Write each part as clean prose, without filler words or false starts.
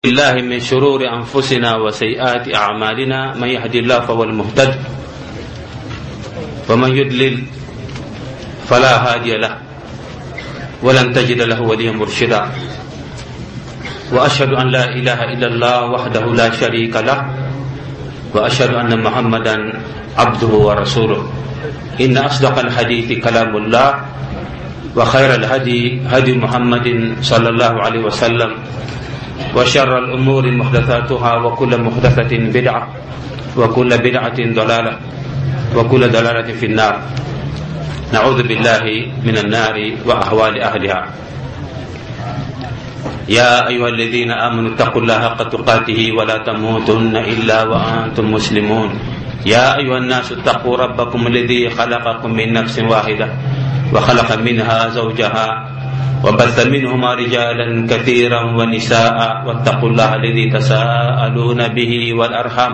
الله من شرور أنفسنا وسيئات أعمالنا، من يهدي الله فهو المهتد، ومن يضلل فلا هادي له، ولن تجد له وليا مرشدا. وأشهد أن لا إله إلا الله وحده لا شريك له، وأشهد أن محمدا عبده ورسوله. إن أصدق الحديث كلام الله، وخير الهدي هدي محمد صلى الله عليه وسلم، وشر الأمور محدثاتها، وكل محدثة بدعة، وكل بدعة ضلالة، وكل ضلالة في النار. نعوذ بالله من النار وأهوال أهلها. يا أيها الذين آمنوا اتقوا الله حق تقاته ولا تموتن إلا وأنتم مسلمون. يا أيها الناس اتقوا ربكم الذي خلقكم من نفس واحدة، وخلق منها زوجها، وبث منهما رجالا كثيرا ونساء، واتقوا الله الذي تساءلون به والأرحام،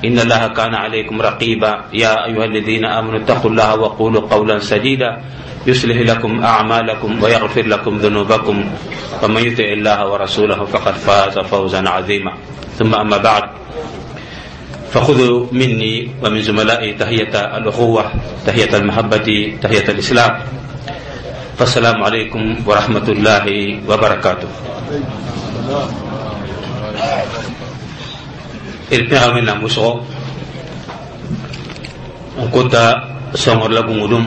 إن الله كان عليكم رقيبا. يا أيها الذين آمنوا اتقوا الله وقولوا قولا سديدا، يصلح لكم أعمالكم ويغفر لكم ذنوبكم، ومن يطع الله ورسوله فقد فاز فوزا عظيما. ثم أما بعد، فخذوا مني ومن زملائي تحية الأخوة، تحية المحبة، تحية الإسلام. فالسلام عليكم ورحمة الله وبركاته. D pẽga Wẽnnaam wʋsgo n kota sõngr la gũudum,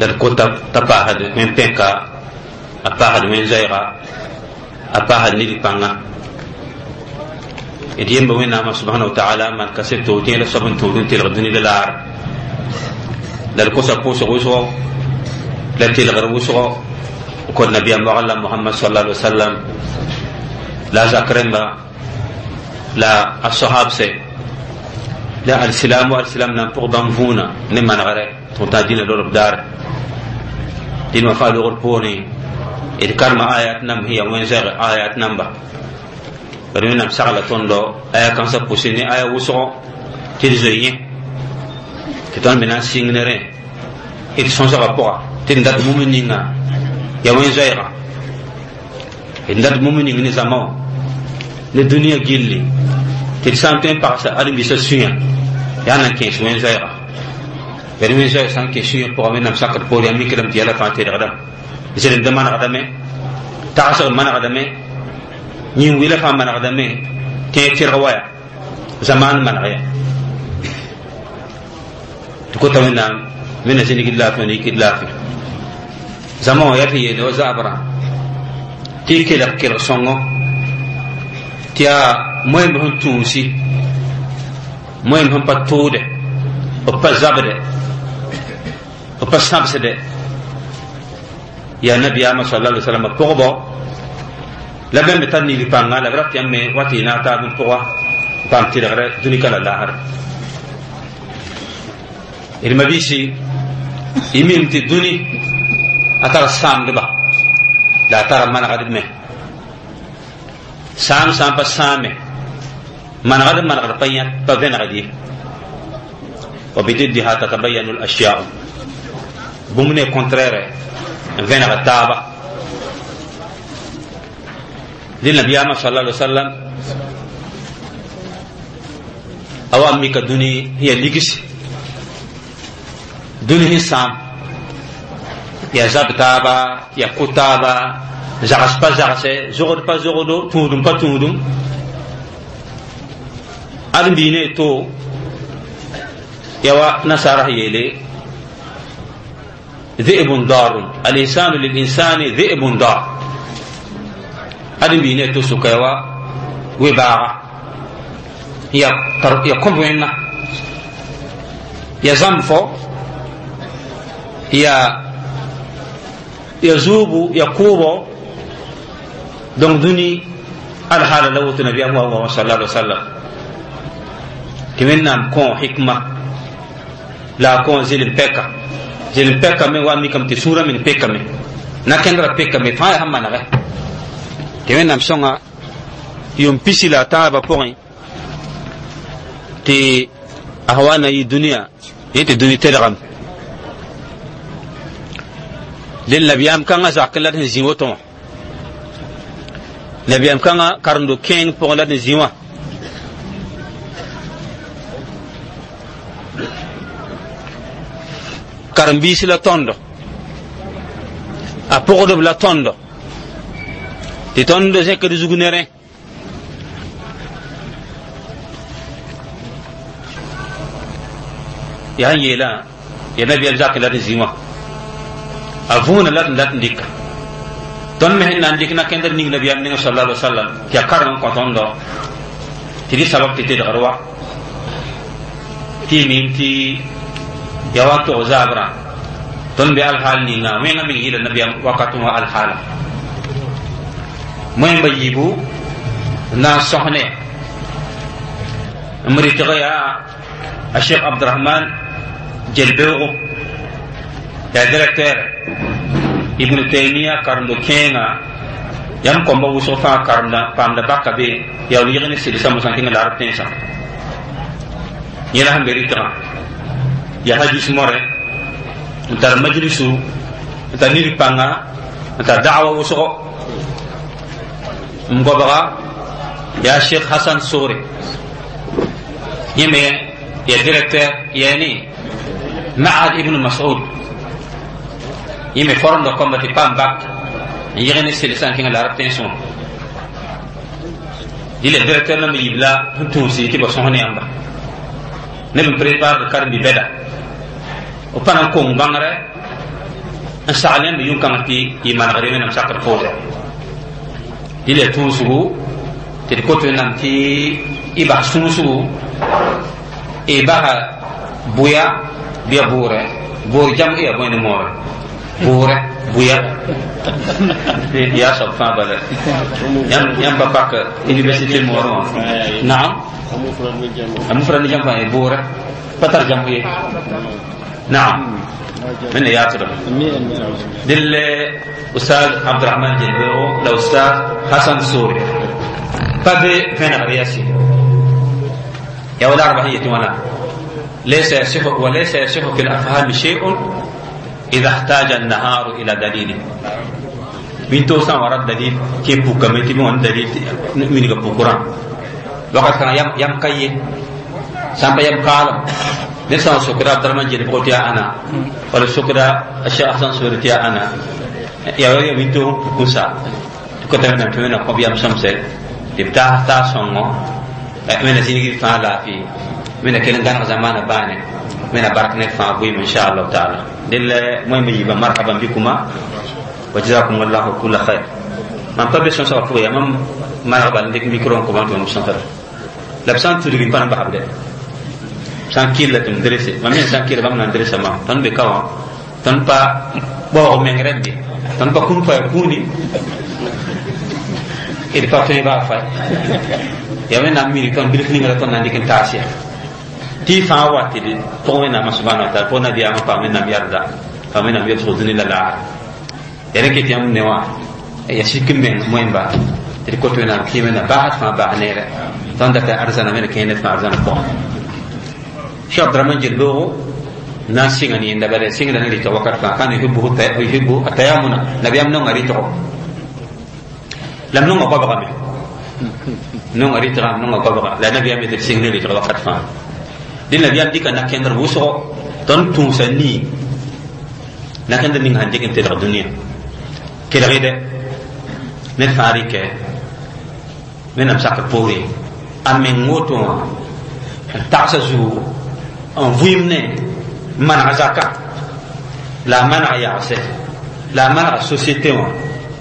la d kota t'a paasd wẽn-pẽka, a paasd wẽn-zoɛɛga, a paasd ned pãnga. D yemba Wẽnnaamã subhana wa taala maan kaseto tẽeda soab n tũud n telg dũni la laar, la d kosa pʋʋsg wʋsgo la telgr wʋsgo n kot nabiyaam wagl la Mohamad sala alai wasallam, la a zak rẽmba, la a sohabse, la alsilam wa alsilam nan pʋg bãmb vũuna ne manegre tɩ tã dĩnã lorb daare. Dĩnã wã faa logr poorẽ d karema ayat namb sẽn yaa wẽn-zoɛɛg ayat namba. Bad Wẽnnaam sagla tõndo aya kãnsã pʋsẽ ne aya wʋsgo tɩ d zoe yẽ, tɩ tõnd me na n sɩng ne rẽ d sõsgã pʋga, tɩ d dat bũmb ninga yaa wẽn-zoɛɛga, d dat bũmb ning ne zãma wã ne dũniyã gilli, tɩ d sã n tõe n pagsa ãdem-biisã sũyã, yaa nan kẽes wẽn-zoɛɛga. Bad wẽn-zoɛɛg sã n kẽ sũyã pʋga, Wẽnnaam sakd poor yaa mikdame tɩ yɛla fãa teedgdame, zelemdã manegdame, tagsg manegdame, yĩn-wɩla fãa manegdame, tẽeg tɩrg waya zamaan maneg ya. Tɩ kota Wẽnnaam wẽnna zĩnigd laafɩ wã ne yikd laafɩ. Zãma wã yaa tɩ yeele wa zabrã tɩ y kelg kelg sõngo, tɩ yaa moeemb sẽn tũusi, moeemb sẽn pa tʋʋde, b pa zabde, b pa sãbsde, yaa nabiyaamã sala alai wasallam pʋgbɔ la bãmb tar nil pãnga, la b rat yãmb me wa tɩ y naag taab n pʋga n paam tɩlgrɛ dũnika la laasre. D mabiisi, y mim tɩ dũni a tara sãamdba la a tara manegdb me. Sãam sã n pa sãame, manegd manegd pa yã pa vẽnegd ye. Wa bididdiha tatabayanu lashyau, bũmb ne contraire n vẽneg taaba. Dẽ nabiyaamã sala alai wasallam a wa n mika dũni sẽn yaa ligsi, dũni sẽn sãam, yaa zab taaba, yaa kʋ taaba, zags pa zagse, zogd pa zogdo, tũudum pa tũudum. Ãdem-biig ne to yaa wa nasaara sẽn yeele ذئب ضار، الإنسان للإنسان ذئب ضار. Ãdem-biig ne to sʋka yaa wa we-baaga, ya kõb wẽnna, ya zãmb fo, ya zuubu, ya kʋʋbo. Donc dũni alhaala la woto nabiyaam wa wã sala alai wasallam tɩ Wẽnnaam kõ hikma la a kõ zɩlem pɛka. Zɩlem pɛka me wa mikame tɩ sũurã men pekame, na-kẽndrã pekame fãa yaa sẽn manegɛ tɩ Wẽnnaam sõnga yʋʋm pisi la a tãabã pʋgẽ tɩ a sã wa na yɩ dũniyã yẽ tɩ dũni telgame. Dẽn nabiyaam kãngã zakẽ la d sẽn zĩ woto wã. Nabiyam kãngã karendo kẽeng pʋgẽ la d zĩ wã karen-biis la tõndo a pʋgdb la tõndo tɩ tõnd zẽkd zug ne rẽ yaa n yeelã ya nabiyaam zakẽ la d zĩ wã a võona la d dat n dɩka tõnd me sẽn na n dɩk na-kẽndr ning nabiyaam nengã sala alai wasallam tɩ ya kareng n kõ tõndo tɩ dɩ sabab tɩ tedgr wa tɩ y mim tɩ ya wa n tog zaabrã tõnd be alhaal ninga wẽngã meng yɩla nabiyaam wakat wã alhaala moẽmba yiibu na n sõs ne m rɩtg yaa a Cheikh Abdurahman Jelbeoogo yaa directeur Ibn Taymiya karendo kẽenga yãmb kõmba wʋsg fãa karemda paamda baka be yaool yɩg ne sɩdsa mosã kẽngã la arab tẽnsã yẽ la sẽn be rɩtgã ya hadis more n tar majlisu n tar nid pãnga n tar da'wa wʋsgo n gobga yaa Cheikh Hassan Sore yẽ me ya directeur yani Ma'ad ibn Mas'ud yẽ me foromda kõmba tɩ paam bak n yɩg ne sɩlsã n kẽngã la arab tẽnsẽ wã dɩla directeur namba yiib la sẽn tũusi tɩ ba sõs ne yãmba neb n prépare karen-bi-bɛda b pa na n kong bãngrɛ n sagl yãmb yũ-kãng tɩ y manegre wẽnnaam sakr poore dɩla tũusgu tɩ d kot wẽnnaam tɩ y bas sũusgu y basa bʋya bɩ ya bʋʋrɛ bʋʋr jam ya bõe ne moore bʋʋrɛ bʋya yaa soab fãa bala yãmb pa pak université moorẽ wã naam a mufrad ne jam fãa bʋʋrɛ pa tar jam ye naam من ياتر دل أستاذ عبد الرحمن جلبيرو لا أستاذ حسن سوري فبي فين غرياسي يا ولا أربعية وانا ليس يصح وليس يصح في الأفهام شيء إذا احتاج النهار إلى دليل من توسان ورد دليل كيف بوكامتي من دليل من بوكران وقت كان يم يم كي سامبا يم كالم نسان سكرا عبد الرحمن جل بقول يا أنا ولا سكرا الشيخ حسن سوري يا أنا يا ويا من تو بوكوسا تكتب من تمنا قبيا مسمسة تبتاع تا سونغو من سيني فالا في من كلن كان زمان بانه من بارك نفع بوي إن شاء الله تعالى دل مهم يبقى مرحبا بكما وجزاكم الله كل خير من قبل سنة فوق يا مم مرحبا عندك ميكرون كمان تون سنة لبسان تدري بان بحبله سان كيل تم درسه ما من سان كيل بام ندرسه ما تن بكوا تن با بوا من رندي تن با كون فا كوني إذا فاتني بافا يا من أميري تن بلخني غلا تن عندك تاسيا تي فا واتي فوق ما سبحانه وتعالى فوق نبي أما فامن نبي أرضا فامن نبي يدخل لا يعني كي تيام نوا يشيك من مهم با تريكوتو نا كيمنا بعد فما بعنيرة تن دك أرزنا من كينت ما أرزنا فوق شيخ عبد الرحمن جلبوغو ناس سيغني عند بلد سيغني ريتو وقت كان يحبه يحب التيامن نبي أمنون ريتو لم نون قبغا نون ريتو نون قبغا لا نبي أمي سيغني ريتو وقت فان دي نبي أم ديك نكندر وسو تون تونسني نكندر نين هنديك انت الدنيا كده غير نفاريك من أمسك بوري أمين موتو تعسزو ان vɩɩm maneg zaka la a maneg yagse la a manega société wã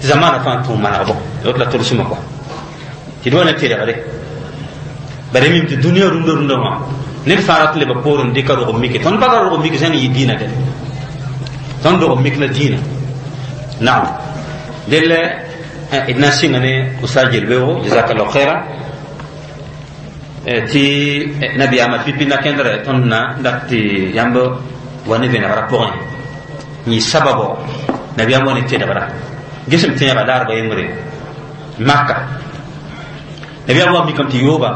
tɩ zamaana fãa tũ manegbo la tolsmã kɔa tɩ d wa na tɩrgre bara mim tɩ dũniyã rũndã rũndã wã ned fãa rat n leba poor n dɩka rog mike tõnd pa ra rog mik zãng yɩ dĩinã dɛ tõnd rog mik la dĩinã naam dell d na n sɩnga ne ustad Jelbeoogo jazakallahu khaira tɩ nabiyaamã pipi na-kẽndrɛ tõnd na dat tɩ yãmb wa ne vẽnegrã pʋgẽ yĩ sababo nabiyaam wa ne tedgra gesem tẽegã laarba yembre maka nabiyaam wa mikame tɩ yooba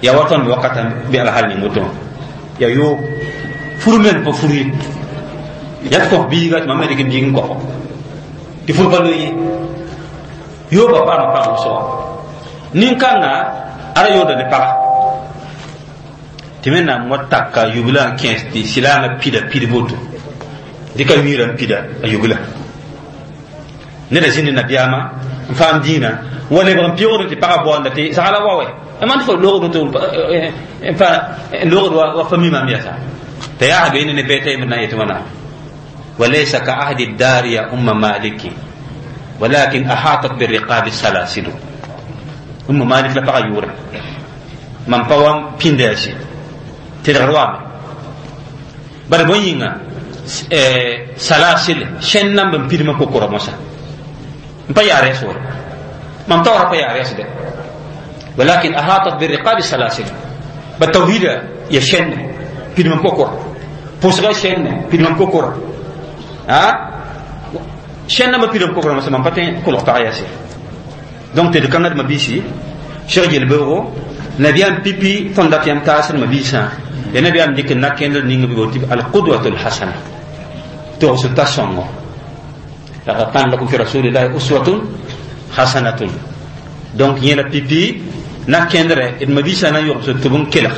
ya wa tõnd wakata bɩ alhal ning woto ya yoob fur men pa fur ye ya tɩ kos biiga tɩ mam me dɩk n biig n kofo tɩ fur pa loe ye Yooba paama pag wʋsgo nin-kãnga ara yooda ne paga tɩ wẽnnaam wa taka yubla n kẽes tɩ silaamã pida pid boto dɩka wiirã n pida a yubla neda zĩnd nabiyaamã n faam dĩinã wa lebg n pɩgdẽ tɩ pagã baoonda tɩ sagla wa wɛ man fo loogd tɩ n loogd wa fami maam yasa t'a yaa be ne bɛɛta yembr na n yetɩ wãna وليس كعهد الدار يا أم مالك ولكن أحاطت بالرقاب السلاسل أم مالك لا بقى يورا من قوام بينداشي تلغر وامي بل بوينغا سلاسل شن نم بن بيرما كوكورا موسى مبا ياري سور من طورا با ياري سد ولكن أحاطت بالرقاب السلاسل بالتوحيد يشن بيرما كوكورا بوسغا شن بيرما كوكورا ها شن نم بيرما كوكورا موسى من باتين كل قطع ياسي donc tɩ d kãngd mabiisi Cheikh yel-beoogo nabiyaam pipi tõnd dat yãmb taasd mabiisã ya nabiyaam dɩk n na kẽndr ning b tɩ alqudwatu lhasana togs ta sõngo laqad kana lakum fi rasulillahi uswatun hasanatun donc yẽla pipi na kẽndrɛ d mabiisã na n yogsd tɩ b n kelg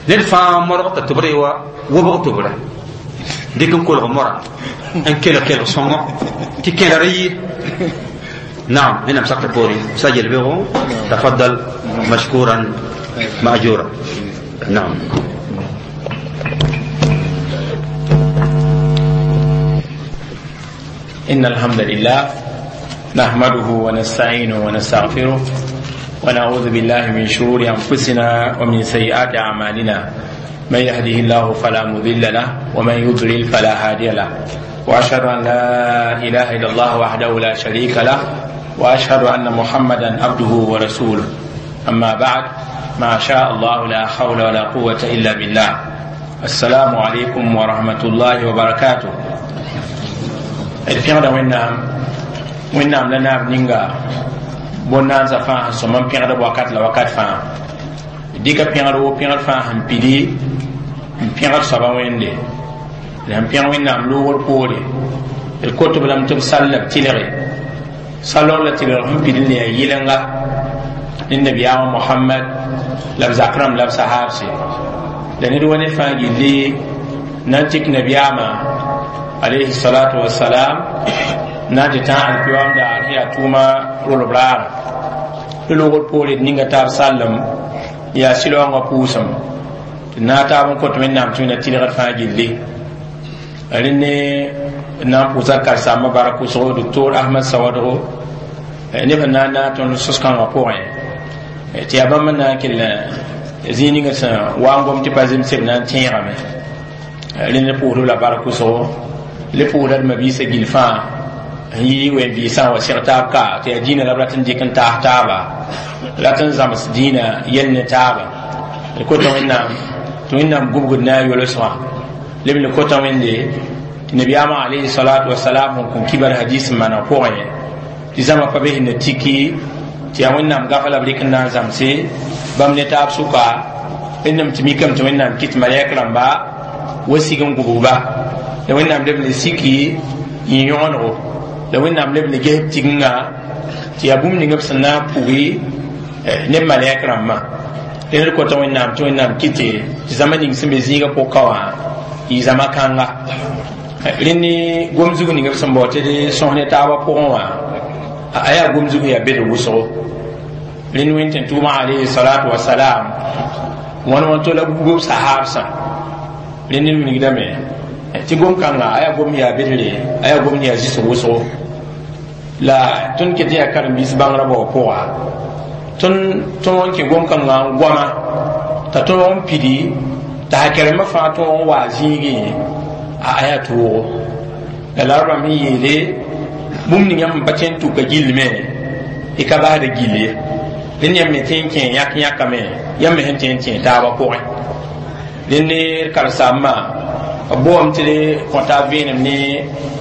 ned fãa modg t'a tʋbr wa wobg tʋbrɛ dɩk n kolg mora n kelg kelg sõngo tɩ kẽdr yɩ نعم هنا مسكت بوري سجل به تفضل مشكورا مأجورا نعم إن الحمد لله نحمده ونستعينه ونستغفره ونعوذ بالله من شرور أنفسنا ومن سيئات أعمالنا من يهده الله فلا مضل له ومن يضلل فلا هادي له وأشهد أن لا إله إلا الله وحده لا شريك له وأشهد أن محمدا عبده ورسوله أما بعد ما شاء الله لا حول ولا قوة إلا بالله السلام عليكم ورحمة الله وبركاته d pẽgda wẽnnaam wẽnnaam la naab ninga bõn-naansa fãa sẽn sõm n pẽgd wakat la wakat fãa dɩka pẽgd wo pẽgd fãa sẽn pidi n pẽgd soaba wẽnde la sẽn pẽg wẽnnaam loogr poore d kot-b lame tɩ b sall la b tɩlge salg la tɩlg sẽn pid n le yaa yɩlenga ne nabiyaamã mohamad la b zak rãmb la b sahaabse la ned wa ned fãa gilli na n tik nabiyaamã alayhi salatu wasalam na n tɩ tã alkiyoam daar sẽn yaa tʋʋma rolb raara tɩ loogr poore d ninga taab sallem yaa sɩlaoongã pʋʋsem tɩ naag taab n kõt wẽnnaam tɩ wẽnna tɩlgd fãa gilli rẽnd ne na n pʋʋsa karsaambã bark wʋsgo doctor ahmad sawadgo neb sẽn na n naag tõnd sos-kãngã pʋgẽ tɩ yaa bãmb n na n kell zĩig ninga sẽn wa n gom tɩ pa zemse b na n tẽegame rẽnd pʋʋsd la bark wʋsgo le pʋʋsda d mabiisã gill fãa n yi wen-vɩɩsã wa seg taab ka tɩ yaa dĩinã la b rat n dɩk n taas taaba rat n zãms dĩinã yɛl ne taaba d kota wẽnnaam tɩ wẽnnaam gubgd na a yolsgã leb le kota wẽnde tɩ nabiyaamã alayhi salatu wasalam sẽn kõn kibar hadis n maana pʋgẽ tɩ zãma pa be sẽn na tiki tɩ yaa wẽnnaam gafa la b rɩk n na n zãmse bãmb ne taab sʋka wẽnnaam tɩ mikame tɩ wẽnnaam kɩt malɛk rãmba wa sig n gubgba la wẽnnaam leb ne siki n yõgenego la wẽnnaam leb ne ges b tigenga tɩ yaa bũmb ning b sẽn na n pugi ne b malɛk rãmbã rẽnd d kota wẽnnaam tɩ wẽnnaam kɩte tɩ zãma ning sẽn be zĩigã pʋka wã yɩ zãma kãnga rẽnd ne gom-zug ning b sẽn bao tɩ d sõs ne taabã pʋgẽ wã a yaa gom-zug yaa bed wʋsgo rẽnd wẽn tɩ tʋʋmã alayhi salatu wasalam wãn wã to la bug b sahaabsã rẽnd ne wilgdame tɩ gom-kãnga a yaa gom yaa bedre a yaa gom yaa zɩsg wʋsgo la tõnd ket yaa karen-biis bãngrã bao pʋga tõnd tõog n kẽ gom-kãngã n goama t'a tõog n pidi t'a hakɛrembã fãa tõog n waa zĩigẽ a yaa toogo la la rãmb sẽn yeele bũmb ning yãmb pa tõe n tʋka gillme y ka basda gill ye rẽnd yãmb me tõe n kẽ yãk yãkame yãmb me sẽn tõe n tẽ taabã pʋgẽ rẽnd ne d karsaambã b boam tɩ d kõta vẽenem ne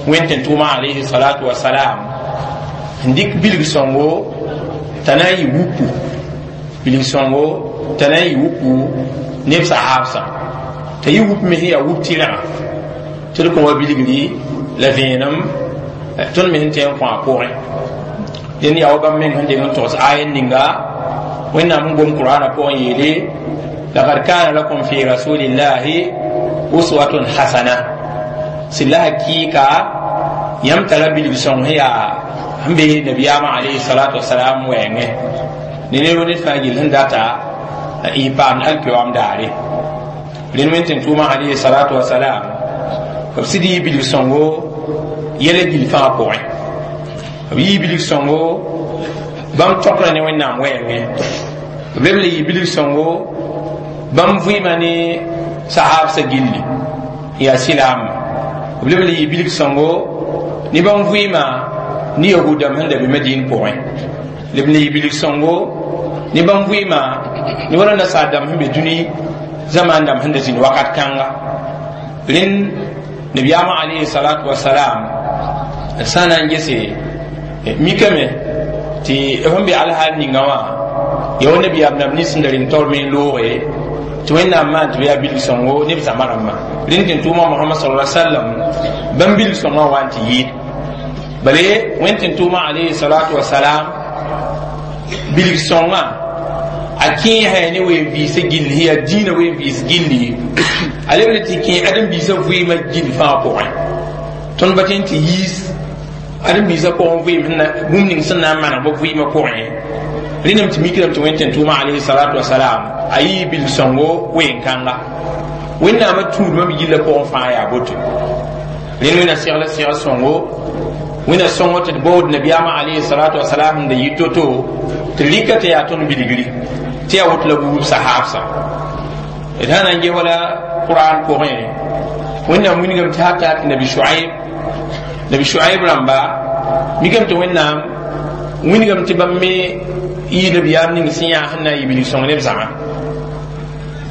wẽn tɩ tʋʋmã alayhi salatu wasalam n dɩk bilg sõngo t'a na n yɩ wuku bilg sõngo t'a na n yɩ wuku neb sahaabsã t'a yɩ wup me sẽn yaa wup tɩrgã tɩ d kõ wa bilgri la vẽenem tõnd me sẽn tõe n kõ a pʋgẽ Dẽnd yaa wa bãmb meng sẽn deng n togs aya ninga Wẽnnaam n gom Qur'ana pʋgẽ yeele: laqad kana lakum fi rasulillahi uswatun hasana. Sɩd la hakɩɩka yãmb tara bilg sõng sẽn yaa sẽn be nabiyaamã alayhi salatu wasalam wɛɛngẽ ne neb ned fãa gill sẽn data y paamd alkiyoam daare. Rẽnd wẽn tɩ tʋʋmã alayhi salatu wasalam b sɩd yɩ bilg sõngo yɛla gill fãa pʋgẽ, b yɩ bilg sõngo bãmb tõkrã ne Wẽnnaam wɛɛngẽ, b leb le yɩ bilg sõngo bãmb vɩɩmã ne sahabsã gilli yaa silaamã, b leb le yɩ bilg sõngo ne bãmb vɩɩmã ne yahudame sẽn da be Madin pʋgẽ, leb le yɩ bilg sõngo ne bãmb vɩɩmã ne wala nasaar dãmb sẽn be dũni zaman dãmb sẽn da zĩnd wakat kãnga. Rẽnd nabiyaamã alayhi salatu wasalam sã na n gese mikame tɩ sẽn be alhaal ninga wã ya wa nabiyaam nab nins sẽn da reng taoor me n looge tɩ Wẽnnaam maan tɩ b yaa bilg sõngo ne b zãma rãmbã. Rẽnd tɩ n tʋʋma Mohamad sal sallam bãmb bilg sõngã wa n tɩ yɩɩd bale Wẽnd tɩ n tʋʋma alayhi salatu wasalam bilg sõngã a kẽesa ne ween-vɩɩsã gill sẽn yaa dĩinã ween-vɩɩs gilli, a lebl tɩ kẽ ãdem-biisã vɩɩmã gill fãa pʋgẽ. Tõnd pa tõe n tɩ yiis ãdem-biisã pʋgẽ vɩɩm bũmb ning sẽn na n maneg b vɩɩmã pʋgẽ. Rẽndame tɩ mikdame tɩ Wẽnd tɩ n tʋʋma alayhi salatu wasalam a yɩ bilg sõngo ween-kãnga Wẽnnaamã tũudmã b gillã pʋgẽ fãa yaa boto. Rẽnd Wẽnna segla segl sõngo, Wẽnna sõngo tɩ d baood nabiyaamã alayhi salatu wasalam sẽn da yɩ to-to tɩ rɩka tɩ yaa tõnd bilgri tɩ yaa woto la buub sahabsã. D sã na n ges wala Qur'an pʋgẽ, Wẽnnaam wilgame tɩ hata tɩ nabi Shuaib, nabi Shuaib rãmba mikame tɩ Wẽnnaam wilgame tɩ bãmb me yɩ nabiyaam ning sẽn yaa sẽn na n yɩ bilg sõng neb zãma.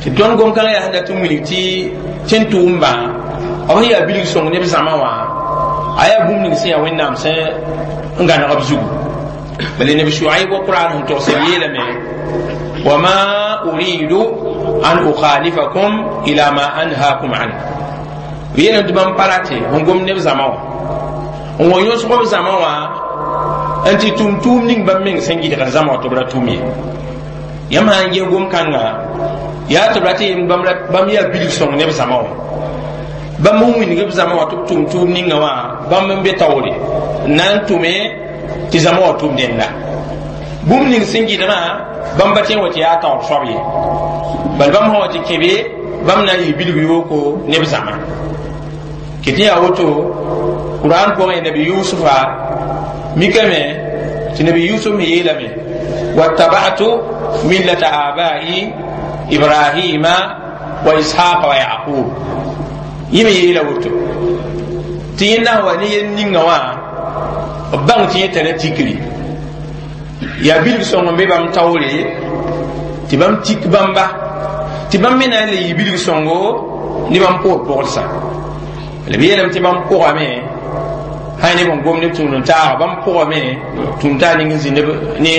Tɩ tõnd gom-kãngã yaa sẽn dat n wilg tɩ tẽn tʋʋmbã b sẽn yaa bilg sõng neb zãma wã a yaa bũmb ning sẽn yaa Wẽnnaam sẽn n gãneg b zugu. Bala nabi Shuaib wa Qur'an sẽn togs b yeelame: wama uridu an ukhalifakum ila ma anhaakum an. B yeelame tɩ bãmb pa rate n gom neb zãma wã n wa yõsg b zãma wã n tɩ tʋm tʋʋm ning bãmb meng sẽn gɩdgd zãma wã tɩ b ra tʋm ye. Yãmb sã n ges gom-kãnga yaa tɩ b rat n bãmb yaa bilg sõng neb zãma wã, bãmb n wilg b zãma wã tɩ b tʋm tʋʋm ninga wã bãmb n be taoore n na n tʋme tɩ zãma wã tʋm dẽnda bũmb ning sẽn gɩdgã bãmb pa tõe n wa tɩ yaa taoor soab ye, bal bãmb sã wa tɩ kẽ be bãmb na n yɩ bilg yooko neb zãma. Ket yaa woto Qur'an pʋgẽ nabi Yusufa mikame tɩ nabi Yusuf me yeelame: wattaba'tu millata abai Ibrahima wa Ishaqa wa Yaqub. Yẽ me yeela woto tɩ yẽnda sẽn wa ne yel ninga wã b bãng tɩ yẽ tara tikri yaa bilg sõng n be bãmb taoore tɩ bãmb tik bãmba tɩ bãmb me na n le yɩ bilg sõngo ne bãmb poor pʋgsã. La b yeelame tɩ bãmb pʋgame sã neb n gom neb tũud n taaga bãmb pʋgame tũud n taag ning n zĩ ne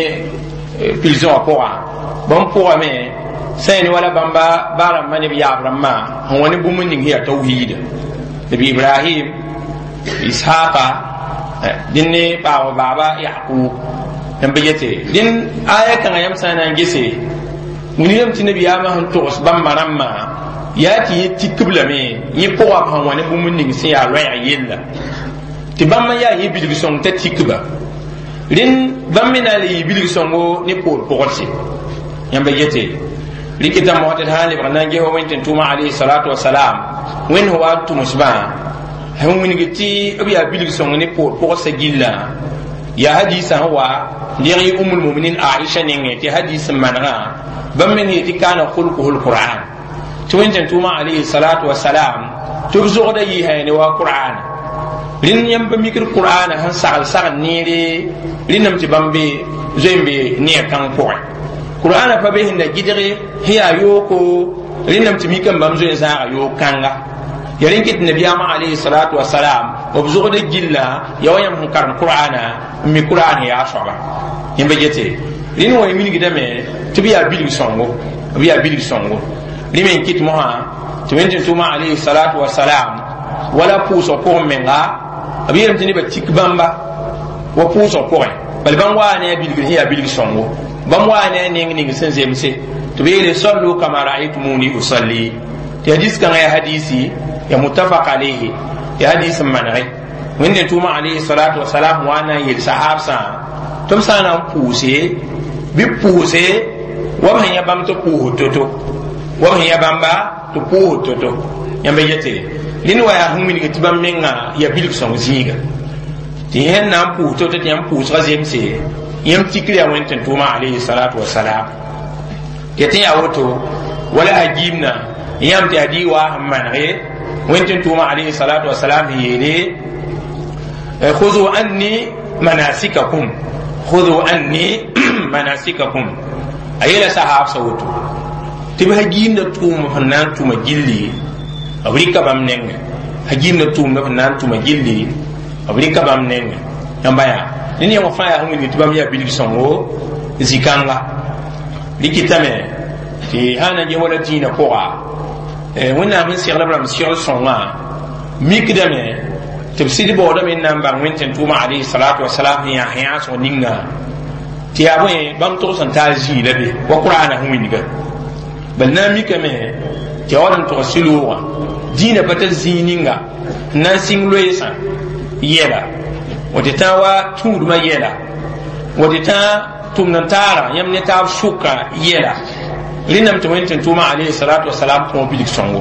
prison wã pʋga bãmb pʋgame sã ne wala bãmba ba rãmbã ne b yaab rãmbã sẽn wa ne bũmb ning sẽn yaa tawhiida nabi Ibrahim, Ishaqa, dẽn ne paam baaba Yaqub n be yete. Dẽn aya kãngã yãmb sã n na n gese wilgame tɩ nabiyaamã sẽn togs bãmba rãmbã yaa tɩ yẽ tikb lame yẽ pʋga b sẽn wa ne bũmb ning sẽn yaa loɛɛg yella tɩ bãmb n yaa yẽ bilg sõng t'a tikba. Rẽnd bãmb me na n le yɩ bilg sõngo ne poor pʋgdse. Yãmba yete rɩkɩta mosã tɩ d sã n lebg n na n ges wa Wẽnd tɩ n tʋʋmã alayhi salatu wasalam Wẽnd sẽn wa n tʋmsbã sẽn wilg tɩ b yaa bilg sõng ne poor pʋgsã gillã yaa hadisa sẽn wa deg yɩ Umul Muminin Aisha nengẽ tɩ hadis n manegã bãmb me yetɩ kana khulquhu lqur'an tɩ Wẽnd tɩ n tʋʋmã alayhi salatu wasalam tɩ b zogda yɩɩsã ne wa Qur'an. Rẽnd yãmb pa mikd Qur'ana sẽn sagl sagl neere rẽndame tɩ bãmb be zoe n be neer kãng pʋgẽ Qur'ana pa be sẽn da gɩdge sẽn yaa yooko rẽndame tɩ mikame bãmb zoe n zãaga yoog kãnga ya rẽn kɩt nabiyaamã alayhi salatu wasalam b zogda gilla ya wa yãmb sẽn karem Qur'ana n mi Qur'an yaa soaba. Yãmba yete rẽnd wã wilgdame tɩ b yaa bilg sõngo, b yaa bilg sõngo. Rẽ me n kɩt mosã tɩ Wẽnd tɩ n tʋʋmã alayhi salatu wasalam wala pʋʋsg pʋgẽ menga b yeelame tɩ nebã tik bãmba wa pʋʋsg pʋgẽ. Bala bãmb waa ne a bilgr sẽn yaa bilg sõngo, bãmb waa ne a neng ning sẽn zemse tɩ b yeele sallu kama raaytumuni usalli. Tɩ hadis kãngã yaa hadisi ya muttafaq alayhi, ya hadis n manege Wẽnde tʋʋma alayhi salatu wasalam wa na n yel sahabsã tɩ b sã n na n pʋʋse bɩ pʋʋse wa b sẽn yã bãmb tɩ pʋʋsd to-to, wa b sẽn yã bãmba tɩ pʋʋsd to-to. Yãmb yete rẽnd wa yaa sẽn wilg tɩ bãmb menga yaa bilg sõng zĩiga tɩ yẽn na n pʋʋs to-to tɩ yãmb pʋʋsgã zemse yãmb tikr yaa Wẽnd tɩ tʋʋma alayhi salatu wasalam. Tɩ tɩ yaa woto wala a giimna yãmb tɩ yaa dɩ waa sẽn manege Wẽnd tɩ tʋʋma alayhi salatu wasalam sẽn yeele خذوا عني مناسككم، خذوا عني مناسككم. A yeela sahab sa woto tɩ b sã giimda tʋʋm sẽn na n tʋma gilli b rɩka bãmb nengẽ, sã giimda tʋʋmda sẽn na n tʋma gilli b rɩka bãmb nengẽ. Yãmba yaa ned yãmb fãa yaa sẽn wilg tɩ bãmb yaa bilg sõngo zĩ-kãnga. Rɩkɩtame tɩ sã na n ges wala dĩinã pʋga Wẽnnaam sẽn segl b rãmb segl sõngã mikdame tɩ b sɩd baoodame n na n bãng Wẽnd tɩ tʋʋma alayhi salatu wasalam sẽn yaa yãasg ninga tɩ yaa bõe bãmb tog sẽn taa zĩig la be wa qur'ana sẽn wilga. Bal na n mikame tɩ ya wa n tog sɩ-loogã dĩinã pa tar zĩig ninga n na n sɩng loeesã yɛla wote tã wa tũudmã yɛla wote tã tʋmd n taara yãmb ne taab sʋka yɛla. Rẽndame tɩ Wẽnd tɩ tʋʋma alayhi salatu wasalam kõ bilg sõngo.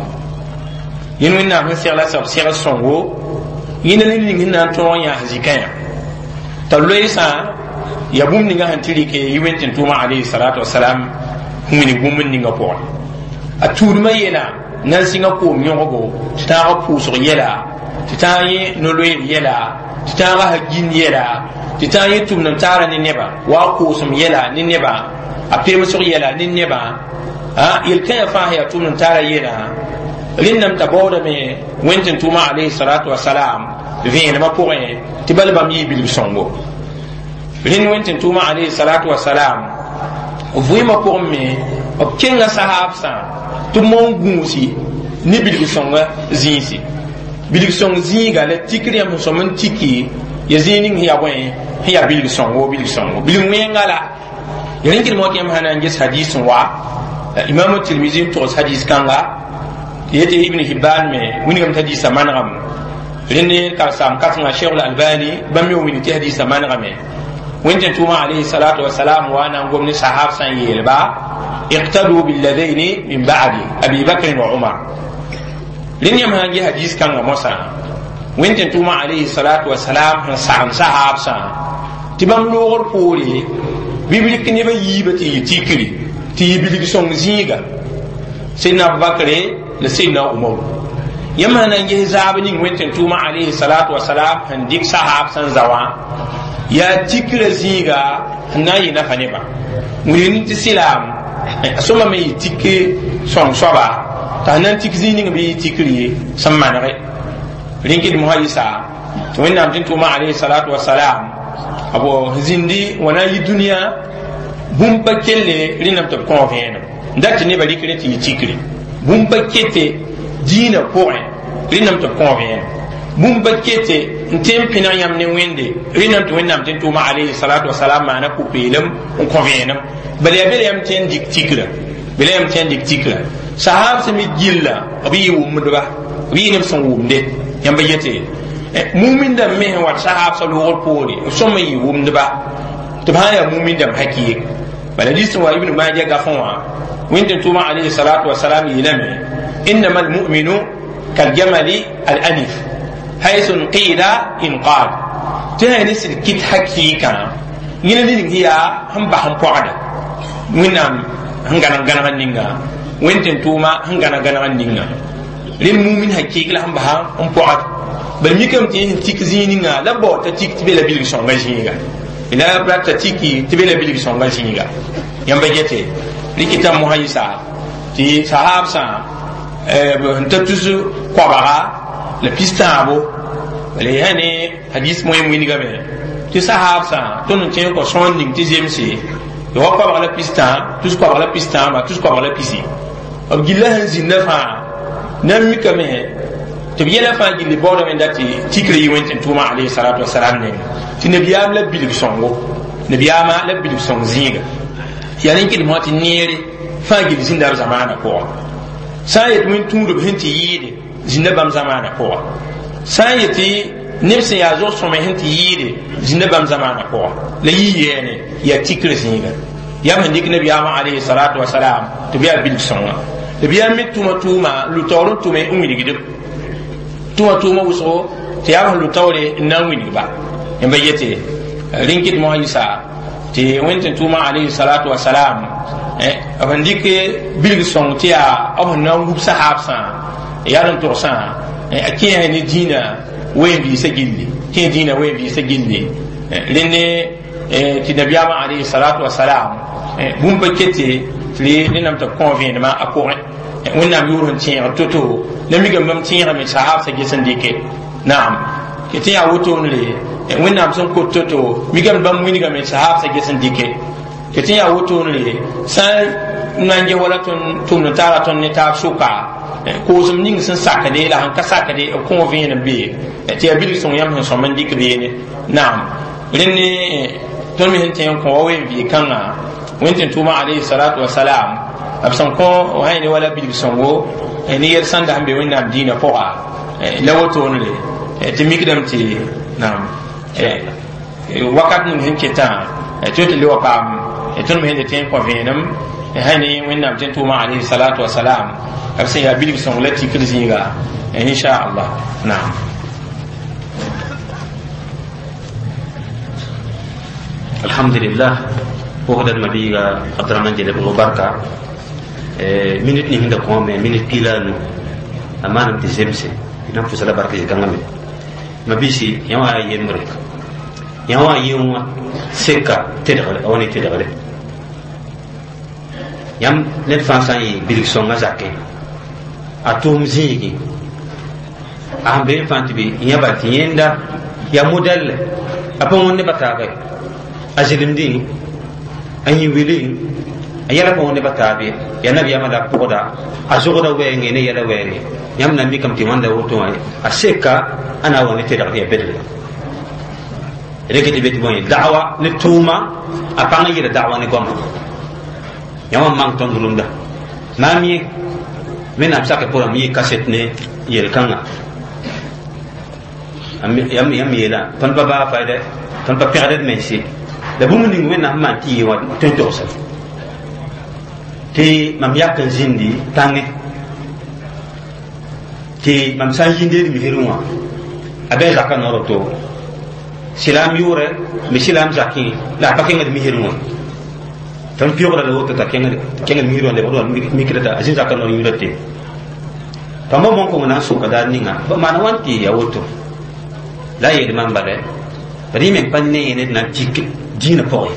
Yẽnd Wẽnnaam sẽn segla sab segl sõngo yẽnda ne ning sẽn na n tõog n yãas zikã yã t'a loeesã ya bũmb ninga sẽn tɩ rɩke yɩ Wẽnd tɩ tʋʋma alayhi salatu wasalam sẽn wilg bũmb n ninga pʋgẽ. A tuudmã yɛla na n sɩnga koom yõggo tɩ tãagã pʋʋsg yɛla, tɩ tãag yẽ no-loeer yɛla, tɩ tãagã ha-gin yɛla, tɩ tãag yẽ tʋmd n taara ne nebã wa a koosem yɛla ne nebã, a pemsg yɛla ne nebã, yel-kãyã fãa sẽn yaa tʋmd n taara yɛla. Rẽndame t'a baoodame Wẽnd tɩ tʋʋma alayhi salatu wasalam vẽenemã pʋgẽ tɩ bal bãmb yɩɩ bilg sõngo. Rẽnd Wẽnd tɩ tʋʋma alayhi salatu wasalam vɩɩmã pʋgẽ me b kenga sahabsã tɩ b moon gũusi ne bilg sõnga zĩisi. Bilg sõng zĩiga la tikr yãmb sẽn sõm n tiki ya zĩig ning sẽn yaa bõe sẽn yaa bilg sõngo, bilg sõngo bilg wẽnga la ya rẽn kɩdmã tɩ yãmb sã na n ges hadis n wa Imam Tirmizi n togs hadis kãnga tɩ yetɩ Ibn Hibban me wilgame tɩ hadisã manegame. Rẽnd karsaam kãsenga Cheikh Albani bãmb me wilg tɩ hadisã manegame. Wẽnd tɩ tʋʋma alayhi salatu wasalam wa na n gom ne sahab sã n yeelba iqtadu billadayni min ba'di Abi Bakr wa Umar. Rẽnd yãmb sã n ges hadis kãngã mosã Wẽnd tɩ tʋʋma alayhi salatu wasalam sẽn sagem sahab sã tɩ bãmb loogr poore bɩ b rɩk nebã yiibã tɩ yɩ tikri tɩ yɩ bilg sõng zĩiga Sidna Abubakr la Sidna Umar. Yãmb sã na n ges zaab ning Wẽnd tɩ tʋʋma alayhi salatu wasalam sẽn dɩk sahab sẽn za wã yaa tikra zĩiga sẽn na n yɩ nafa nebã wilg tɩ sɩlaam a sõma me yɩ tik sõng soaba t'a sẽn na n tik zĩig ning bɩ yɩ tikri sẽn manege. Rẽn kɩd mosã yɩsa tɩ Wẽnnaam tɩ tʋʋma alayhi salatu wasalam b zĩndi wa na n yɩ dũniyã bũmb pa kelle rẽndame tɩ b kõo vẽenem n dat tɩ nebã rɩkre tɩ yɩ tikri bũmb pa kete dĩinã pʋgẽ rẽndame tɩ b kõo vẽenem bũmb pa kete n tẽ n pẽneg yãmb ne Wẽnde rẽndame tɩ Wẽnnaam tɩ n tʋʋma alayhi salatu wasalam maana pʋ-peelem n kõ vẽenem. Bala yaa bela yãmb tẽ n dɩk tikra, bela yãmb tẽ n dɩk tikra sahab sẽn mi gilla b yɩ wʋmdba b yɩ neb sẽn wʋmde. Yãmb yete mumin dãmb me sẽn wat sahab sa loogr poore b sõm n yɩ wʋmdba tɩ b sã n yaa mumin dãmb hakɩɩk. Bala hadis wa Ibn Majah gafẽ wã Wẽnd tɩ tʋʋma alayhi salatu wasalam yeelame innama almuminu kaljamali alanif haythu nqida inqad tɩ sã ne sɩd kɩt hakɩɩkã yẽna ning sẽn yaa sẽn bas n pɔgda Wẽnnaam sẽn gãneg gãneg ninga Wẽnd tɩ tʋʋma sẽn gãneg gãneg ninga rẽnd mumin hakɩɩk la sẽn bas n pɔgd. Bala mikame tɩ sẽn tik zĩig ninga la bao t'a tik tɩ be la bilg sõnga zĩiga la rata tiki tɩ be la bilg sõnga zĩiga. Yãmba gete rɩkɩta mosã yɩsa tɩ sahabsã n ta tus koabga la pis-tãabo bala yaa ne hadis moẽm wilgame tɩ sahabsã tõnd n kẽ n kõ sõor ning tɩ zemse ya wa koabg la pis-tã tus koabg la pis-tãaba tus koabg la pisi b gilla sẽn zĩnda fãa na n mikame tɩ b yɛla fãa gilli baoodame n dat tɩ tikr yɩ Wẽnd tɩ tʋʋma alayhi salatu wasalam neng tɩ nabiyaam la bilg sõngo. Nabiyaamã la bilf sõng zĩiga yaa rẽn kɩdem tɩ neere fãa gill zĩnda b zamaanã pʋga sã n yet wẽn tũudb sẽn tɩ yɩɩde zĩnda bãmb zamaanã pʋga sã n yetɩ neb sẽn yaa zog-sõme sẽn tɩ yɩɩde zĩnda bãmb zamaanã pʋga la yɩ yɛɛne yaa tikr zĩiga yaa b sẽn dɩk nabiyaamã alayhi salatu wasalam tɩ b yaa bilf sõnga tɩ b yaa me tʋma tʋʋma lu-taoor n tʋme n wilgdb tʋma tʋʋma wʋsgo tɩ yaa b sẽn lu-taoore n na n wilgba n ba yete rẽn kɩt mosã yɩsa tɩ wẽnd tɩ tʋʋma alayhi salatu wasalam b sẽn dɩk bilg sõng tɩ yaa b sẽn na n wub sahaabsã yaa n togsã a kẽesa ne dĩinã wen-vɩɩsã gilli kẽ dĩinã wen-vɩɩsã gilli rẽnd tɩ nabiyaamã alayhi salatu wasalam bũmb pa kete tɩ rẽnnam tɩ b kõ vẽenemã a pʋgẽ wẽnnaam yʋʋr sẽn tẽegd to-to la mikame bãmb tẽegame sahaabsã ges n dɩke naam tɩ yaa wotone wẽnnaam sẽn kot to-to mikame bãmb wilgame sahaabsã ges n dɩke tɩ yaa wotone sã n na n ges wala tõnd tʋmd n taara tõnd ne taab sʋka koosem ning sẽn sakde la sẽn ka sakde b kõ vẽenem be tɩ yaa bilg sõng yãmb sẽn sõm n dɩk beene naam rẽnd tõnd me sẽn tẽ n kõ wa wen-vɩɩ kãngã wẽnd tɩ tʋʋmã alayhi salatu wasalam b sẽn kõ sã ne wala bilg sõngo ne yɛl sãnda sẽn be wẽnnaam dĩinã pʋga la wotoonre tɩ mikdame tɩ naam wakat ning sẽn ketã tɩ tɩ le wa paam tõnd me sẽn tẽ n kõ vẽenem sã ne wẽnnaam tɩ tʋʋmã alayhi salatu wasalam b sẽn yaa bilg sõng la tikr zĩiga inshallah naam. Alhamdulillah pʋgdad mabiiga Abdraman Jeleb barka minute ning sẽn da kõ me minute piila nu a maanam tɩ zemse tɩ na n pʋsa la barka zĩ-kãngã me mabiisi yã wã yaa yembre yã wã yẽ wã seka tedgre a wa ne tedgre yãmb ned fãa sã n yɩ bilg sõngã zakẽ a tʋʋm zĩigi a sẽn be n fãa tɩ bɩ yã bal tɩ yẽnda yaa modɛlle a pa wõnd nebã taaba ye a zelemdẽ a yĩ wilẽ a yɛla pa wõnd nebã taab ye yaa nabiyaamã la a pʋgda a zogda wɛɛngẽ ne yɛla wɛɛngẽ yãmb na n mikame tɩ wãnda woto wã a seka a na n wa ne tedgd yaa bedre rẽk tɩ be tɩ bõe da'wa ne tʋʋma a pãng n yɩla da'wa ne goama yã wã mang tõnd rũndã maam yẽ wẽnnaam sakɛ pʋgã yɩ kaset ne yel-kãngã yãmb yeela tõnd pa baa fayda tõnd pa pẽgd d mense la bũmb ning wẽnnaam sẽn maan tɩ yɩ wã tõe n togsa tɩ mam yak n zĩndi tãngẽ tɩ mam sã n yĩnd d misrẽ wã a bɩ a zaka noor to silaam yʋʋrɛ me silaam zakẽ la a pa kẽngd misrẽ wã tõnd pɩʋgra la woto t'a kẽngd misrẽ wã lebgd wa mikra t'a a zĩ zaka noor yũurã te tõmba bõn-kõng na n sʋka daar ninga b maana wãn tɩ ya woto la a yeel mam bala b rẽ meng pa ne ned na n tik dĩinã pʋgẽ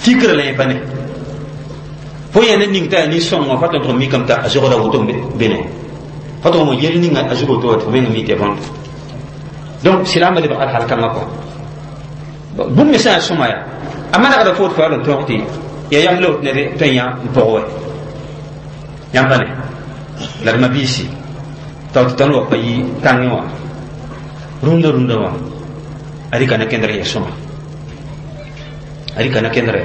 tikra la yẽ pa ne fo yẽ ned ning t'a yaa nin-sõng wã fa tõnd tʋg mikame t'a a zogda woto bene fa tʋg mo yel ninga a zug woto wa tɩ fo meng mi tɩ bõnd donc silaamã lebg al hal kãngã kɔ bũmb me sã n yaa sõma yaa a manegda fo tɩ fo yaa n tõog tɩ yaa yam la wot ned tõe n yã n pʋg wɛ yãmb pa ne la d mabiisi tao tɩ tõnd wa pa yi tãngẽ wã rũndã rũndã wã a rɩka na kẽndr n yɛ sõma a rɩka na kẽndr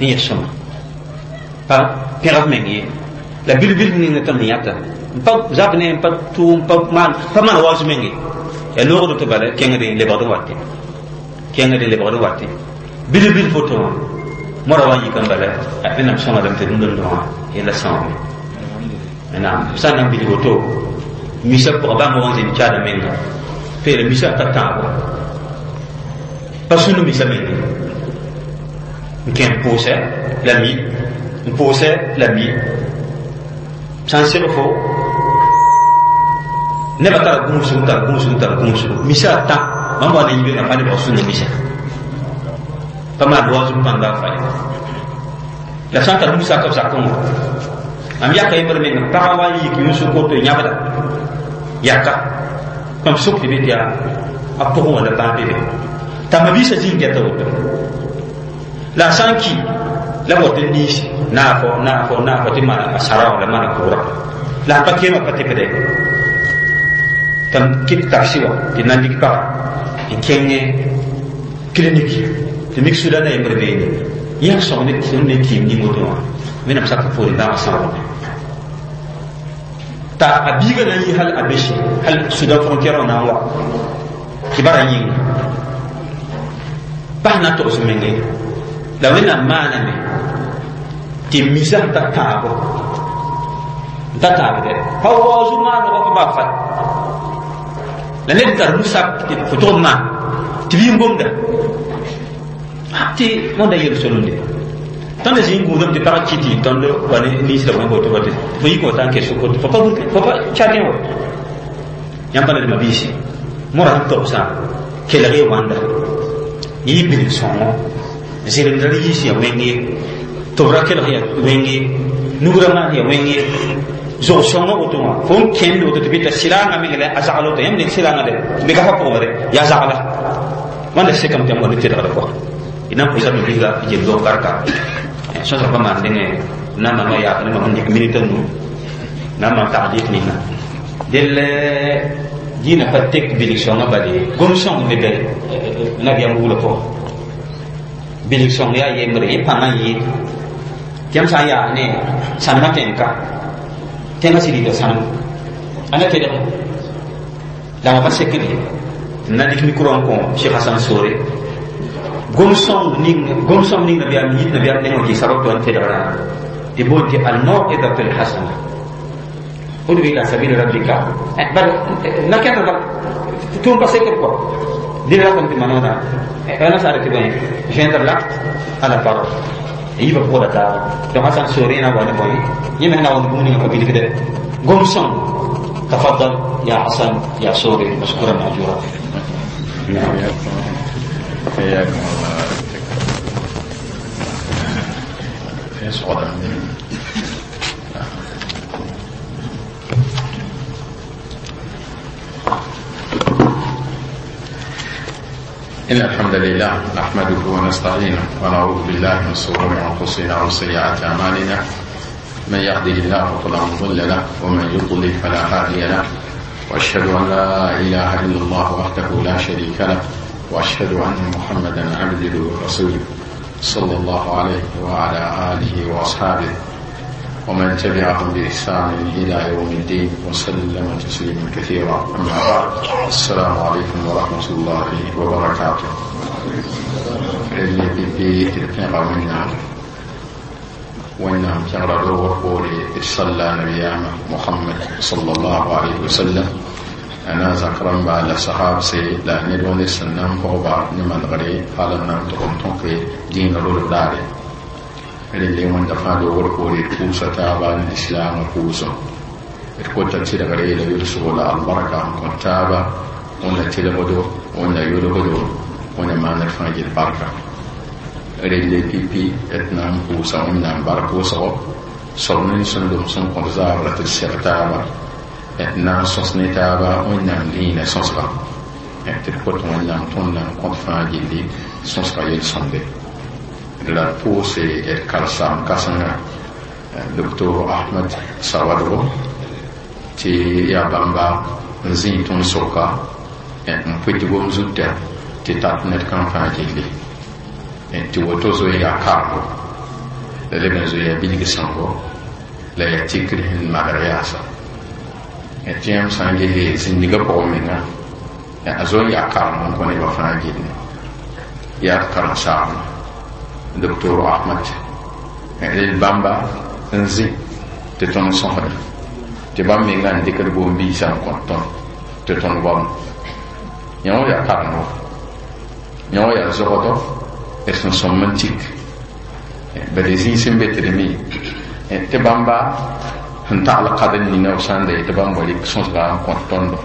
n yɛ sõma pa pẽgb meng ye la bil-bil ning tõnd sẽn yãta n pa zab ne n pa tʋʋm pa maan pa maan waoos menge yaa loogd tɩ bala kẽngd n lebgd n watẽ kẽngd n lebgd n watẽ bil-bil foto wã moara wa n yik n bala wẽnnaam sõngadame tɩ rũndã rũndã wã yella sãoome naam sã n na n bilg woto misa pʋga bãmb wa n zĩnd caada menga peela misa ka tãabo pa sũnd misa menge n kẽ n pʋʋsɛ la mi n pʋʋsɛ la mi sã n seg fo nebã tara gũusg tara gũusg tara gũusg misa a tã bãmb wa na yibeengã pa nebg sũnda misa pa maan waoosg pãnda a faye la sã n tar musaka b zakẽ wã mam yaka yembr menga pagã wa n yik yũsg koto yãbda yaka mam sʋk tɩ be tɩ yaa a pʋgẽ wã la bãab be be t'a mabiisã zĩig gɛta woto la a sã n ki la b wat n niis naafo naafo naafo tɩ maan a sara wã la maan a kʋʋra la a pa keemã pa tɩpde tɩ m kɩt taksi wã tɩ na n lig paga n kẽng clinique Tɩ mik Sudan a yembr beene yãk sõng ne ne tɩɩm ning woto wã wẽnnaam sak poore bãag sãoogame t'a a biiga na n yi hal a bese hal Sudan frontière wã na n wa tɩ bara yĩnga bas na n togs menge la wẽnnaam maaname tɩ misa n ta tãabo n ta taabdɛ pa waoog maanegã pa baa fat la ned n tar nu-sab tɩ fo tʋg n maan tɩ bɩ n gomda tɩ wãnda yel solonde tõnd zĩ n gũudame tɩ pag kɩ tɩ tõnd wa ne ninsda wã boto tɩ fo yik wa tã n kes fo pa fo pa chargẽ wa yãmb pa ned mabiisi mora sẽn togsã kelg ye wãnda yɩ bilg sõngo zẽlemdra yiis ya wẽng ye tʋbra kelg ya wẽng ye nugrã maan ya wẽng ye zog sõnga woto wã fo n kẽnd woto tɩ bɩ t'a sɩlaangã meng la a zagl woto yãmb ned sɩlaangã de me ka fa pʋgẽ re yaa zagla wãnda sekame tɩ yãmb wa ne tedgdã pʋgã d na n pʋʋsa bibiisga yel-doog barka sõsg pa maan dẽngẽ na n maan wa yaak ne mam n dɩk minit a nu na n maan tagdɩk ninga dell dĩinã pa tek bilg sõngã bale gom sõng me bɛ nabiyaam buglã pʋgã bilg sõng yaa yembre yẽ pãngã n yɩɩd tɩ yãmb sã n yaas ne sãnemã tẽn-ka tẽngã sɩd yita sãnem ãnda tedge la wã pa sekd ye tɩ na dɩk micro n kõ Cheikh Hasan Sore gom sõng ning gom sõng ning nabiyaam yit nabiyaam nengã tɩ sabab tɩ wa n tedgrã tɩ boond tɩ al-mawidatu al-hasana udu ila sabili rabbika bal na kẽnd ba tʋʋm pa sekd kɔ dẽn ratame tɩ manooda na saara tɩ bõe joindre l'acte à la parole yiibã pʋgda taaba donc Hasan Sore na wa ne bõe yẽ me na wa ne bũmb ninga pa bilgdɛ gom sõng تفضل يا حسن يا سوري مشكورا مأجورا. نعم. حياكم الله. إن الحمد لله نحمده ونستعينه ونعوذ بالله من شرور أنفسنا وسيئات أعمالنا، من يهده الله فلا مضل له ومن يضلل فلا هادي له، وأشهد أن لا إله إلا الله وحده لا شريك له، وأشهد أن محمدا عبده ورسوله صلى الله عليه وعلى آله وأصحابه ومن تبعهم بإحسان إلى يوم الدين وسلم تسليما كثيرا. أما بعد، السلام عليكم ورحمة الله وبركاته. وإنهم كان صلى نبينا محمد صلى الله عليه وسلم أنا ذكرن بعد صحاب سي لا ندون سنن فوبا نمان غري قال نام تقوم تنقي دين رول داري اللي وين دفع ورقوري كوسا تابا الإسلام كوسا الكوتا تيلا غري لا يرسل البركة كنتابا ولا تيلا بدو ولا يرغدو ولا ما نرفع البركة relle pipi d na n pʋʋsa wẽnnaam bark wʋsgo soab nin sẽn lem sẽn kõt zaabra tɩ d seg taaba d na n sõs ne taaba wẽnnaam dĩinã sõsga tɩ d kot wẽnnaam tõnd na n kõt fãa gilli sõsga yel-sõmde la d pʋʋse d karsaam kãsenga docteur Ahmad Sawadgo tɩ yaa bãmba n zĩig tõnd soka n pʋɩt gom zuta tɩ tat ned kam fãa gilli tɩ woto zoe yaa kargo la leb n zoe yaa bilg sõngo la yaa tikr sẽn magr yaasa tɩ yãmb sã n ges zĩndigã pʋgẽ menga a zoe yaa karem n kõ nebã fãa gilli yaa d karen-saamã docteur Ahmad rel bãmba n zĩ tɩ tõnd sõsda tɩ bãmb menga n dɩkd boom-biisã n kõt tõnd tɩ tõnd goam yã wã yaa karemgo yã wã yaa zogdɔ d sẽn sõm n tik bala zĩig sẽn be tɩ d mi tɩ bãmba sẽn tagl kad n ninga b sã n da yetɩ bãmb wa rɩk sõsga n kõt tõndo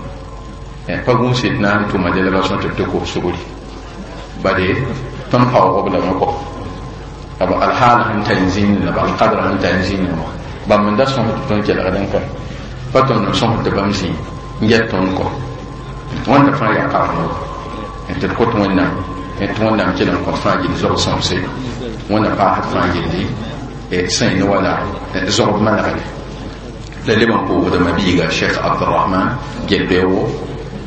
pa gũus d na n tʋma délégation tɩ b tɩ kos sugri bade tõnd paoog b lame kɔ b alhaal sẽn tar n zĩnd la b alqadr sẽn tar n zĩnd wã bãmb n da sõs tɩ tõnd kelgd n ka pa tõnd n sõs tɩ bãmb zĩ n get tõnd kɔ wãnda fãa yaa karemo tɩ d kot wẽnnaam tɩ wẽnnaam kell n kõt fãa gill zog sõmse wẽnna paasd fãa gilli sẽn ne wala zogb manegre la leb n pʋʋsda mabiiga Cheikh Abdurahman Gelbeogo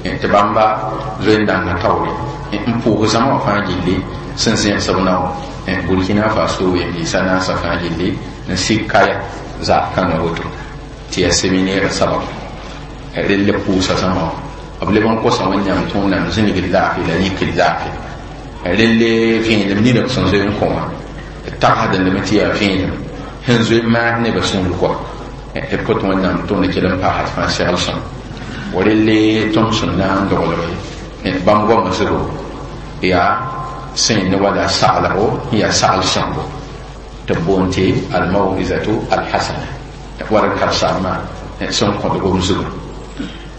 tɩ bãmba zoe-n dãngã taoore n pʋʋs zãma wã fãa gilli Sẽn zẽgs b nao Burkina Faso ween-biisã naasã fãa gilli n sik kaya zaag kãngã woto tɩ yaa séminaire sabab rell pʋʋsa zãma b leb n kosa Wẽnnaam tõog nam zĩnigd laafɩ la yikd laafɩ relle vẽenem nina b sẽn zoe n kõ wã d tagsdẽ tɩ yaa vẽenem sẽn zoe n maas nebã sũur kɔ tɩ b kõt Wẽnnaam tõnd kell n paasd fãa segl sõm wa relle tõnd sẽn na n doglge bãmb goamã zugu yaa sẽn ne wala saglgo n yaa sagl sõngo tɩ b boond tɩ almawizatu alhasana war n karsaamã sẽn kõt gom zugu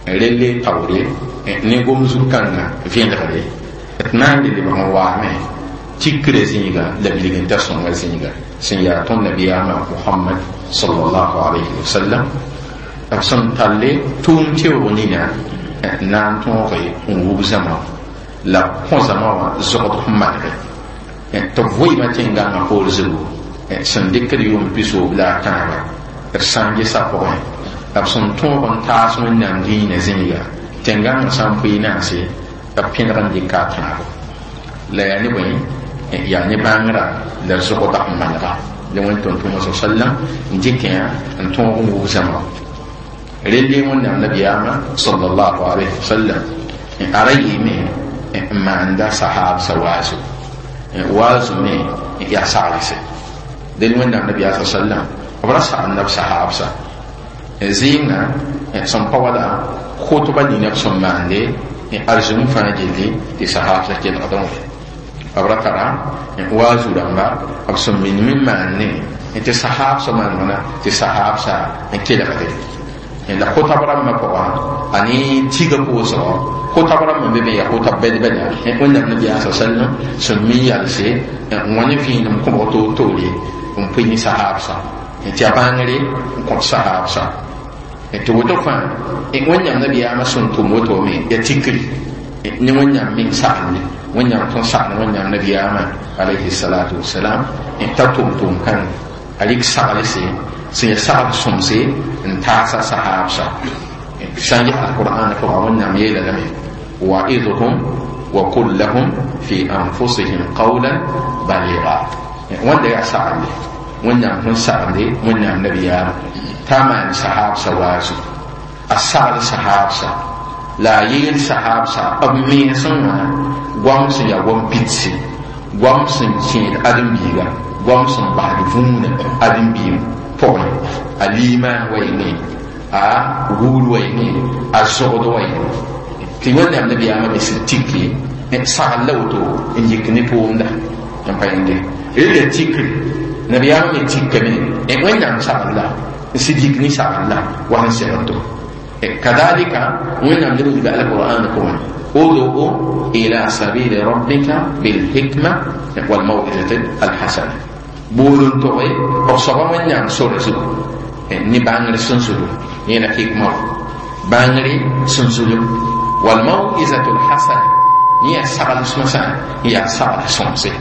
relle taoore ne gom zug kãngã vẽelgre d na n le lebg n waame tikrã zĩiga la bilgenta sõnga zĩiga sẽn yaa tõnd nabiyaamã Mohamad sallallahu alayhi wa sallam b sẽn talle tʋʋm teoog nina na n tõoge n wub zãma la kõ zãma wã zogd sẽn manege tɩ b vɩɩmã tẽn-gãngã poor zugu sẽn dɩkd yʋʋm pisoob la a tãaba d sã n gesa pʋgẽ b sẽn tõog n taas Wẽnnaam dĩinã zĩiga tẽn-gãngã sã n pʋɩ naase b pẽneg n dɩka a tãabo la yaa ne bõe yaa ne bãngrã la zogda n manega la Wẽn tʋm-tʋʋmã sa sallam n dɩkẽ n tõog n wub zãma relle Wẽnnaam nabiyaamã sallallahu alayhi wa sallam a ra yɩɩme n maanda sahaabsã waazu waazu me yaa saglse del Wẽnnaam nabiyaa sa sallam b ra sagenda b sahaabsã zɩɩngã sẽn pa wala khutba nina b sẽn maande arzũm fãa gilli tɩ sahaabsã kelgdẽ wã b ra tara waazu rãmba b sẽn minim n maande tɩ sahaabsã maanegna tɩ sahaabsã n kelgde la khotab rãmbã pʋgã a ne tiga pʋʋsgɔ khotab rãmbã be me yaa khotab bɛd-bɛda Wẽnnaam nabiyaa sa sallam sẽn mi yalse n wa ne vẽenem kõbg toor-toore n pʋɩ ne sahaabsã tɩ a bãngre n kõt sahaabsã tɩ woto fãa Wẽnnaam nabiyaamã sẽn tʋm woto me yaa tikri ne Wẽnnaam meng saglde Wẽnnaam sẽn sagl Wẽnnaam nabiyaamã alayhi salatu wasalam t'a tʋm tʋʋm kãng a rɩk saglse sẽn yaa sagl sõmse n taasa sahaabsã sã n ges alqur'an pʋga Wẽnnaam yeela lame wa'idhum wa qul lahum fi anfusihim qawlan baliga wẽnda yaa saglde Wẽnnaam sẽn saglde Wẽnnaam nabiyaamã t'a maan sahaabsã waazu a sagl sahaabsã la a yeel sahaabsã b mensẽ wã goam sẽn yaa goam pidse goam sẽn kẽed ãdem-biiga goam sẽn basd vũunã ãdem-biig pʋgẽ a liimaan wa yenge a guur wa yenge a zogd wa yenge tɩ Wẽnnaam nabiyaamã me sẽn tiki sagl la woto n yik ne tʋʋmda n pa yẽnde rela tikri nabiyaamã me tikame Wẽnnaam sagl la n sɩd yik ne sagl la wa sẽn segl to kadalika Wẽnnaam leb n wilga alqur'an pʋgẽ ud'u ila sabili rabbika bilhikma walmaw'izati alhasana bool n toge b soaba Wẽnnaam sore zugu ne bãngr sẽn zulu yẽla hikma bãngre sẽn zulu walmaw'izatu alhasana yẽ yaa sagl sõsã yaa sagl sõmse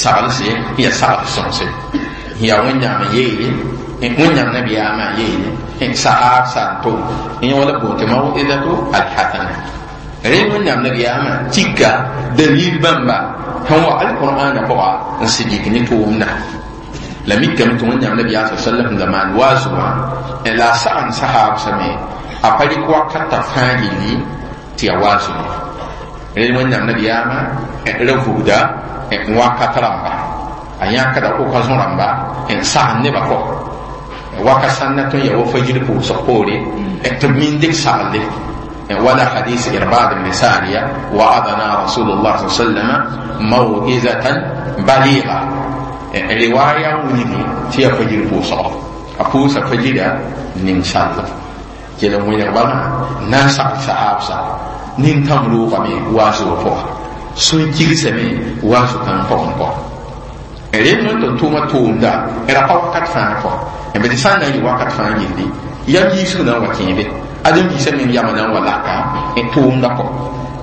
saglse yaa sagl sõmse yaa Wẽnnaam yeele Wẽnnaam nabiyaamã yeele sahaabsã n tʋm yẽ wala boon tɩ maw'izatu alhasana rẽ Wẽnnaam nabiyaamã tika dalil bãmba sẽn wa alqur'ana pʋga n sɩd yik ne tʋʋmda la mikame tɩ Wẽnnaam nabiyaa sa sallam sẽn da maan waazu wã la a sagn sahaabsã me a pa rɩk wakata fãa gilli tɩ yaa waazu ye rẽ Wẽnnaam nabiyaamã ra vugda wakat rãmba a yãkda occasion rãmba n sagn nebã kɔ waka sãnna tõe n yaa wa fajir pʋʋsg poore tɩ b min dɩk saglde ولا حديث إرباد بن سارية وعظنا رسول الله صلى الله عليه وسلم موعظة بليغة رواية وني تي فجر بوصا أبوس فجر نين شاء كلا وين ربنا ناس صحاب نين تمرو قمي واسو فوق سوين كيسمي واسو كان فوق فوق rẽ n tɩ tʋʋmã tʋʋmda ra pa wakat fãa kɔ b tɩ sã n na n yɩ wakat fãa yilli yam yiisg na n wa kẽebe ãdem-biisã meng yamã na n wa laka n tʋʋmda kɔ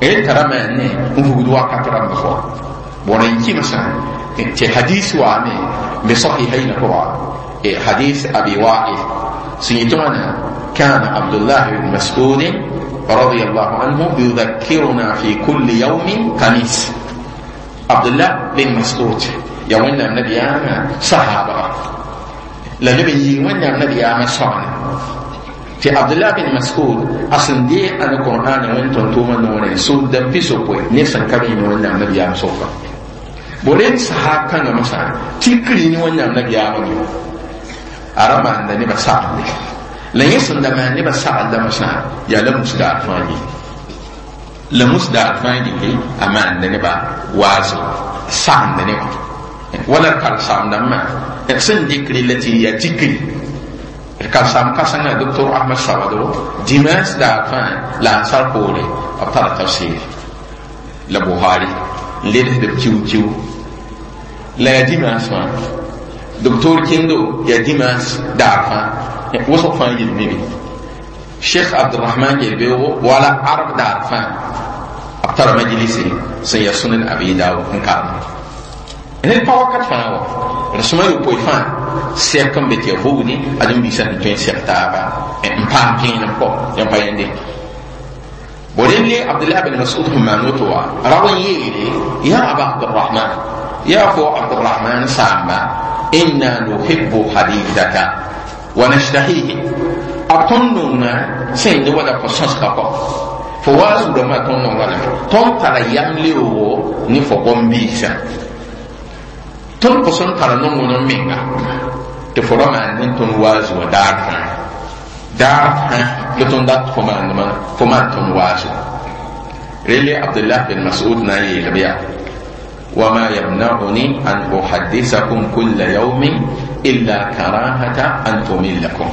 rẽ tara maane n vugd wakat rãmba kɔ bõn n kɩmsã tɩ hadis waame be sahihaynã pʋga hadis Abi Wa'il sẽn yetɩ wãna كان عبد الله بن مسعود رضي الله عنه يذكرنا في كل يوم خميس. Abdullah bin Mas'ud ya wẽnnaam nabiyaamã sahaabga la leb n yɩɩ wẽnnaam nabiyaamã soaana tɩ Abdullah bin Mas'ud a sẽn deeg alqur'ana wẽn tõn-tʋʋmã noorẽ sʋʋda pisopoe ned sẽn ka be wẽnnaam nabiyaam sʋka bo rẽnd sahaab kãngã mosã tikri ne wẽnnaam nabiyaamã me a ra maanda nebã saglde la yẽ sẽn da maan nebã saglda mosã yaa la musdaar fãa yɩ la musdaar fãa gilli a maanda nebã waazo sagenda nebã wala karsaam-dãmbã sẽn dɩkri la tɩ yaa tikri karsaam kãsengã doctor Ahmad Sawado dimanche daar fãa la ansar poore b tara tafsir la Buhari n ledsd b kiu-kiu la yaa dimanche wã doctor kẽndo yaa dimanche daar fãa wʋsg fãa yel me be Cheikh Abdurrahman yel-beoogo wala arab daar fãa b tara majlisi sẽn yaa Sunan Abi Dawud n karem ned pa wakat fãa wa d sõma yopoe fãa sɛk n be tɩ ya vugdi ãdem-biisã sẽn tõe n sɛg taaba n paam vẽenem kɔ yãmb pa yẽnde bo relle Abdullah bin Mas'ud sẽn maan woto wã rao n yeele ya aba Abdurrahman ya fo Abdurrahman saamba inna nuhibbu hadithaka wa nashtahihi a tõnd nonga sẽn yẽ wala fo sõsga kɔ fo wa zuudãmbã tõnd nonga lame tõnd tara yam leoogo ne fo gom-biisã tõnd pʋs n tara nong-wẽnem menga tɩ fo ra maan ne tõnd waazu wã daar fãa daar fãa la tõnd dat fo maandmã fo maan tõnd waazu relle Abdullah bin Mas'ud na n yeelb yaa wama yamna'uni an uhaddisakum kulla yawmin illa karahata an tumillakum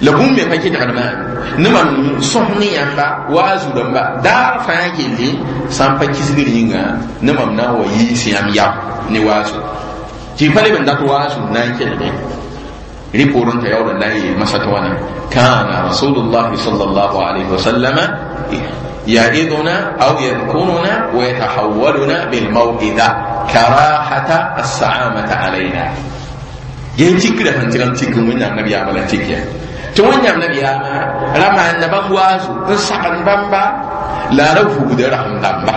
la bũmb me pa kɩdgd maam ne mam sõs ne yãmba waazu rãmba daar fãa gilli sã n pa kisgr yĩnga ne mam na n wa yiis yãmb yam ne waazu tɩ pa leb n dat waazu n na n kelge rɩ poorẽ t'a yaool n na n yeel masã tɩ wãna kaana rasulullahi sallallahu alayhi wa sallama يعظنا أو يذكرنا ويتحولنا بالموئدة كراهة السعامة علينا yen tikra sẽn tɩg n tik wẽnnaam nabiyaamã la tik ya tɩ wẽnnaam nabiyaamã ra maanda bãmb waazu n sagend bãmba la a ra vugda rasem dãmba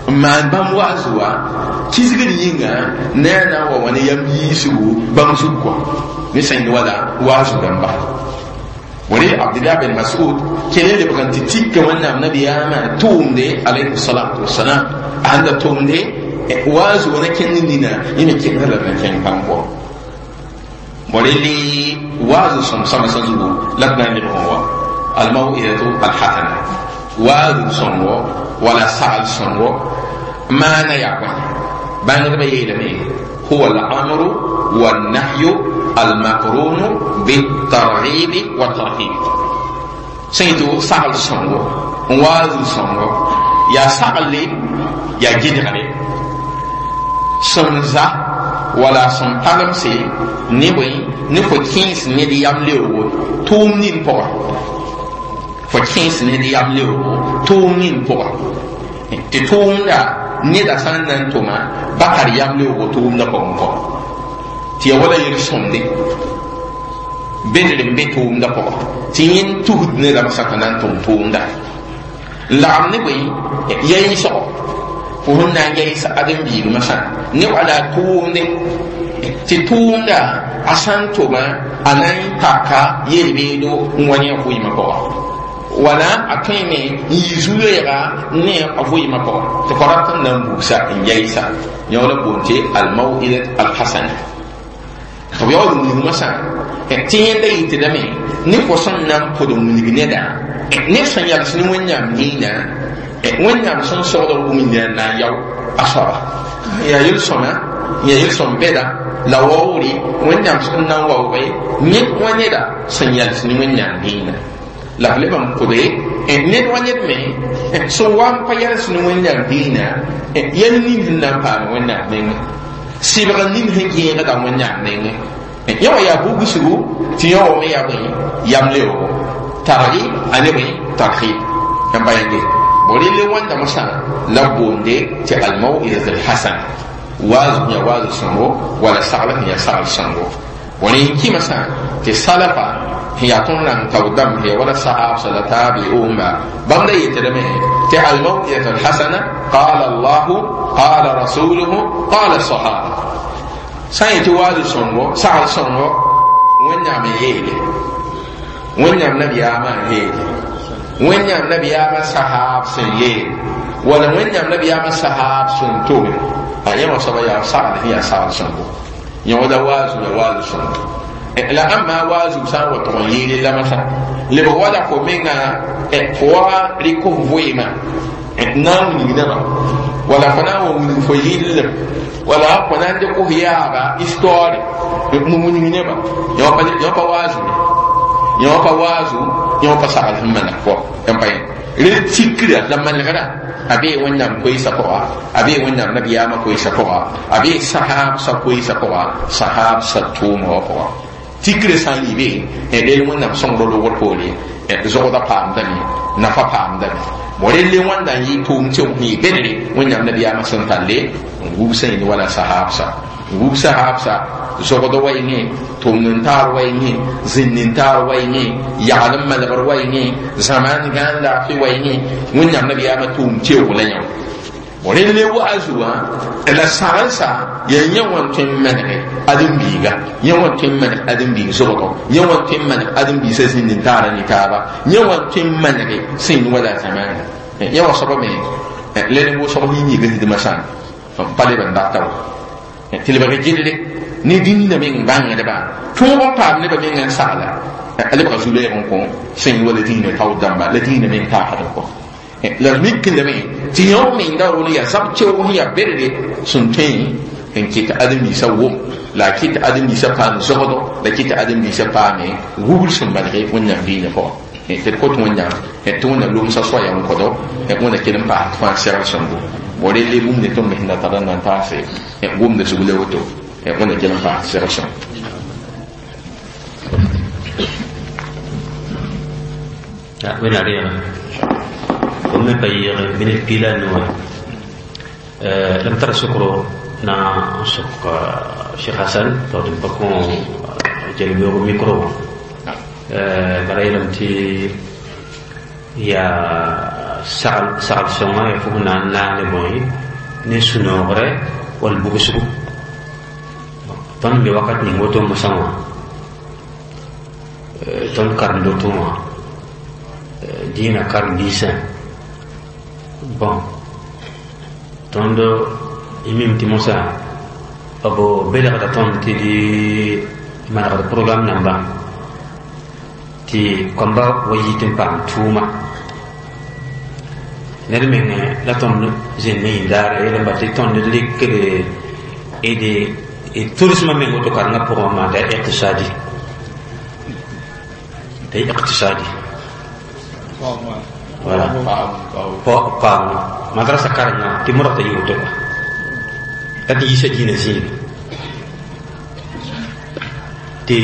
n maan bãmb waazu wã kisgr yĩnga ne a na n wa wa ne yam yiisgu bãmb zug kɔ ne sẽn yẽ wala waazu dãmba wore Abdullah bin Mas'ud kele lebg n tɩ tikka wẽnnaam nabiyaamã tʋʋmde alayhi salatu wasalam a sẽn da tʋmde waazu wã na kẽnd nina yẽ me kẽngd la na kẽng pãng pʋgẽ وللي واز صم صم لبنا هو الموئدة الحسنة واز صم ولا سعل صم ما نيعبه بان بيلمي هو الأمر والنهي المقرون بالترغيب والترهيب سيدو سعل صم واز صم يا سعل يا جدغلي سمزا wala sẽn palemse ne bõe ne fo kẽes ned yam leoogo tʋʋm nin pʋga fo kẽes ned yam leoogo tʋʋm nin pʋga tɩ tʋʋmda neda sã n na n tʋma ba tar yam leoogo tʋʋmda pʋgẽ kɔ tɩ ya wala yel-sõmde bedr n be tʋʋmda pʋga tɩ yẽnd tusd nedame sã t'a na n tʋm tʋʋmda n lagem ne bõe yayiisgo fo sẽn na n yaɩs ãdem-biig masã ne wala tʋʋmde tɩ tʋʋmda a sã n tʋma a na n taka yel-beedo n wa ne a vɩɩmã pʋga wala a tõeme n yi zu-loeega ne a vɩɩmã pʋga tɩ fo rat n na n buugsa n yaɩsa yõ la boond tɩ almau'idat alhasana tɩ b yaool n wilg masã tɩ yẽnda yɩtdame ne fo sẽn na n pʋd n wilg neda ned sẽn yals ne Wẽnnaam dĩinã wẽnnaam sẽn sogd b wũmda n na n yao a soaba yaa yel-sõma yaa yel-sõm bɛda la waoore wẽnnaam sẽn na n waooge ned wa neda sẽn yals ne wẽnnaam dĩinã la b leb n pʋde ned wa ned me sẽn wa n pa yals ne wẽnnaam dĩinã yɛl nin sẽn na n paam wẽnnaam nengẽ sɩbg nin sẽn gẽegda wẽnnaam nengẽ yẽ wã yaa bugsgu tɩ yẽ wa me yaa bõe yam leoogo targi a ne bõe tarhib yãmb pa yẽnde borele wãnda mosã la boonde tɩ almau'idat alhasan waaz yã waaz sõngo wala sagl sẽn yaa sagl sõngo wala n kɩ masã tɩ salafa sẽn yaa tõnd rãng taoor dãmb sẽn ya wala sahabsa la tabi'unba bãmb da yetdame Tɩ almawidatu alhasana qala allahu qala rasuluhu qala sahaba sã n yetɩ waazu sõngo sagl sõngo wẽnnaam n yeele wẽnnaam nabiyaamã n yeele wẽnnaam nabiyaamã sahaab sẽn yeel wala wẽnnaam nabiyaamã sahaab sẽn tome a yẽ wã soaba yaa sagl sẽn yaa sagl sõngo yẽ la waazu ya waazu sõngo la ãmba waazu sã n wa tʋg n yeele la masã lebg wala fo menga fo wa rɩk f vɩɩmã na n wilg nebã wala fo na n wa wilg fo yɩllem wala fo na n dɩk f yaaba histoire n wilg nebã yẽ pa waazu ye yẽ pa waazu yẽ pa sagl sẽn maneg fo n pa yẽ rel tikra la manegra a bee wẽnnaam koeesã pʋga a bee wẽnnaam nabiyaamã koeesã pʋga a bee sahaabsã koeesã pʋga sahaabsã tʋʋma wã pʋga tikre sã n yɩ be rel wẽnnaam sõngr logr poore zogda paamdame nafa paamdame bo relle wãnda n yɩ tʋʋm tɩ sẽn yɩ bedre wẽnnaam nabiyaamã sẽn talle n wubsã yẽnd wala sahaabsa n wub sahaabsa zogd wa yẽngẽ tʋmd n taar wa yẽngẽ zĩnd n taar wa yẽngẽ yagl n malgr wa yẽngẽ zãmaan gãan laafɩ wa yẽngẽ wẽnnaam nabiyaamã tʋʋm teoog la yã relle waazu wã la sagensa yaa yẽ wã n tõe n manege ãdem-biiga yẽ wã tõe n maneg ãdem-biig zogdo yẽ wã tõe n maneg ãdem-biisã zĩnd n taara ne taaba yẽ wã tõe n manege sẽn yẽ wala zamaana yẽ wã soaba me la ne wʋsg sẽn yigsdmã sã n pa leb n data wa tɩ lebg gilli ne dĩnã meng bãngdba tõog n paam nebã meng n sagla a lebga zu-lɛɛg n kõ sẽn wala dĩinã taood dãmba la dĩinã meng taasd n kõ la d mik lame tɩ yõ menga rʋl yaa zab keoog sẽn yaa berre sẽn tõe n kɩt ãdem-biisã wʋm la a kɩt ãdem-biisã paam zogdo la kɩt ãdem-biisã paame wubr sẽn manege wẽnnaam diinã pʋgã tɩ d kot wẽnnaam tɩ wẽnnaam lomsã soaya n kõdo wẽnna kell n paas tɩ fãa segl sõngo bo relle bũmb ne tõnd sẽn da tar n na n taase gomda zug la woto wẽnna kell n paas segl sõngo wẽnna reega fo me pa yɩɩg minit piila a nuwã la m tara sokro na n sok Cheikh Hassan tɩ d pa kõ jel-beoogo micro wã bara yeelame tɩ yaa sagl sõnga yaa fo na n naag ne bõe ne sũ-noogre wall bugsgo tõnd be wakat ning woto mosã wã tõnd karemd woto wã dĩinã karen-biisã bon tõnd y mim tɩ mosã b belgda tõnd tɩ d manegd programme namba tɩ kõmba wa yit n paam tʋʋma ned meng la tõnd zẽnd ne yĩndaara yel n ba tɩ tõnd rɩkd d tʋlsmã meng woto karengã pʋgẽ maan t'a iqtisadi t'a iqtisadi voilà paam madrasa karengã tɩ modg t'a yɩ woto kɔa la tɩ yiisa dĩinã zĩige tɩ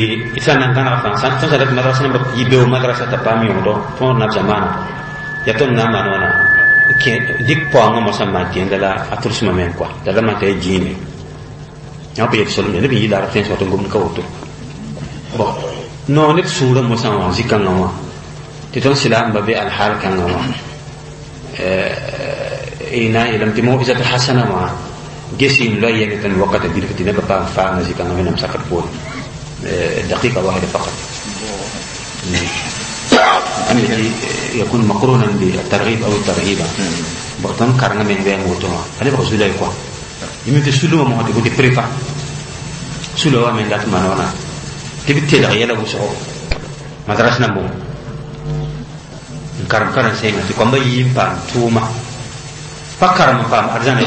sã n na n gãneg fãa tõnd sã dat madrasa namba yɩ beo madrasa t'a paam yõgdo tõod nab zamaana yaa tõnd na n maan wãna dɩk paoongã mosã n maan tẽenda la a tʋlsmã meng kɔa la la maan t'a yaa dĩine yã pa yet solem neb n yɩ laar tẽns wa tɩ n gomd ka woto bon no neb sũurã mosã wã zĩ-kãngã wã tɩ tõnd silaamba be alhaal kãngã wã y na n yeelame tɩ mawizat hasana wã ges n loa yɛng tõnd wakata bilf tɩ nebã paam faanga zĩ-kãngã wẽnnaam sakr poore دقيقة واحدة فقط التي يكون مقرونا بالترغيب أو الترهيب بطن كارنا من بين وتوما أنا بقول سولا يقوى يمكن سلوما ما تقول بريفا سلوما من ذات منونا تبي تلغي يلا وسعو مدرسة نمو karam karam senga ti komba yim pam tuma pa karam pam arzana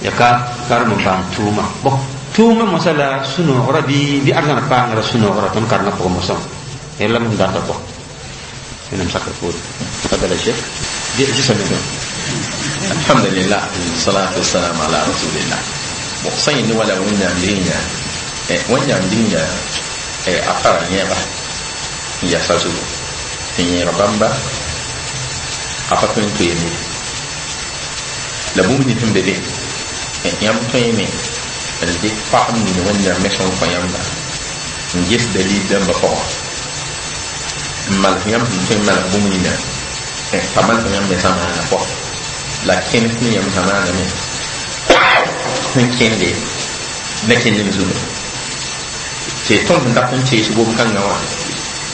ya ka karam pam tuma bo tuma masala suno ora bi bi arzana pa ngara suno ora ton karna po mosom ella mun data ko enam sakar pur تفضل يا شيخ دي جسم الحمد لله والصلاة والسلام على رسول الله sẽn yẽ wala wẽnnaam dĩinã wẽnnaam dĩinã a para yẽeba n yasa zugu tɩ yẽeg bãmba a pa tõe n toeem ye la bũmb nins sẽn be be yãmb tõeme n dɩk pagb ning wẽnnaam me sẽn kõ yãmba n ges dalil dãmbã pʋgã n malg yãmb sẽn tõe n malg bũmb nina Pa mal tɩ yãmb me zamaana pʋgẽ la kẽnes ne yãmb zamaana me sẽn kẽnde ne kẽndem zugu tɩ tõnd sẽn dat n tees gom-kãngã wã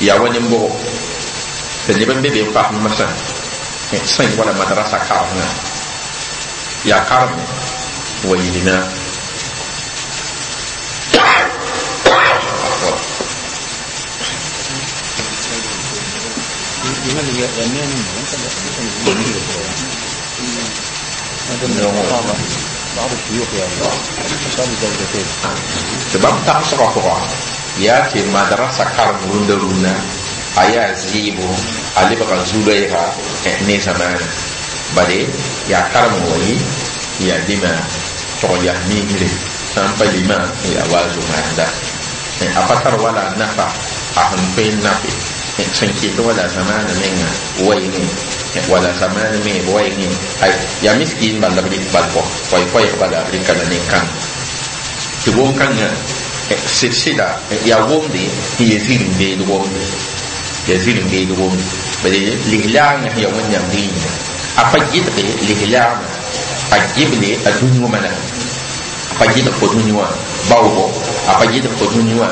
yaa wa nin-bʋgo tɩ neb n be be n pasd masã sẽn wala madrasa karengã yaa karem wa yilna بعض الشيوخ يعني أصحاب الزوجتين tɩ bãmb tagsgã pʋga yaa tɩ madrasa karem rũndã rũnã a yaa zɩɩbo a lebga zu-loɛɛga ne zamaana bale yaa karem n wa yɩ yaa dema tog yaa miisre sã n pa lima yaa wa zo-maanda a pa tar wala nafa a sẽn tõe n nafe sẽn kɩt wala zamaana menga waɩngẽ wala zamaana me b waɩngẽ ay yaa miskiin bal la b rɩk bal pɔ koɛɛ-koɛɛg bala b rɩka la nin-kãng tɩ gom-kãngã sɩd-sɩda yaa womde n yee zĩrim-beed womde yaa zĩrim-beed womde bale lislaagã sẽn yaa wẽnnaam dĩinã a pa gɩdge lislaagã a gɩble a dũni wã manega a pa gɩdg fo dũni wã baoogo a pa gɩdg fo dũni wã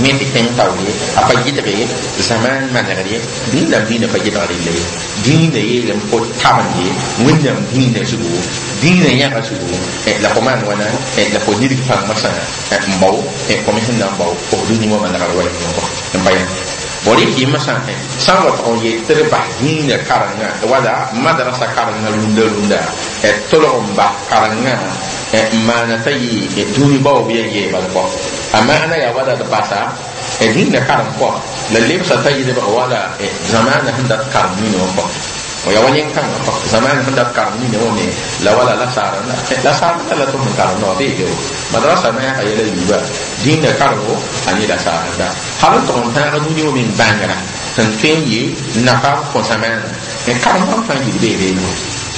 me tɩ kẽng taoor ye a pa gɩdge zamaan manegr ye dĩinam dĩinã pa gɩdg rella ye dĩinã yeelame fo tabende wẽnnaam dĩinã zugu dĩinã yãga zugu la fo maan wãna la fo nidg pãng masã n bao fo me sẽn na n bao fo dũni wã manegr wa n pa yã bõe rɩk masã sã n wa tʋg n yet tɩ d bas dĩinã karengã wala madrasa karengã rũndã rũndã tolg n bas karengã n maana t'a yɩ dũni baoob yaa yee bal kɔ a maana yaa wala d basa dĩinã karem pɔ la lebsa t'a yɩ lebg wala zamaana sẽn dat karem nina wã pɔ ya wa nin-kãngã pɔ zamaana sẽn dat karem nina wã me la wala la saarenda la saarenda la tɩ sẽn karem noa bee madrasa naagã yɛla yiiba dĩinã karengo a ne la saarenda hal n tʋg n tãag dũni wã meng bãngrã sẽn tõe n yɩ nafa n kõ zamaana karem bãmb fãa yil bee beene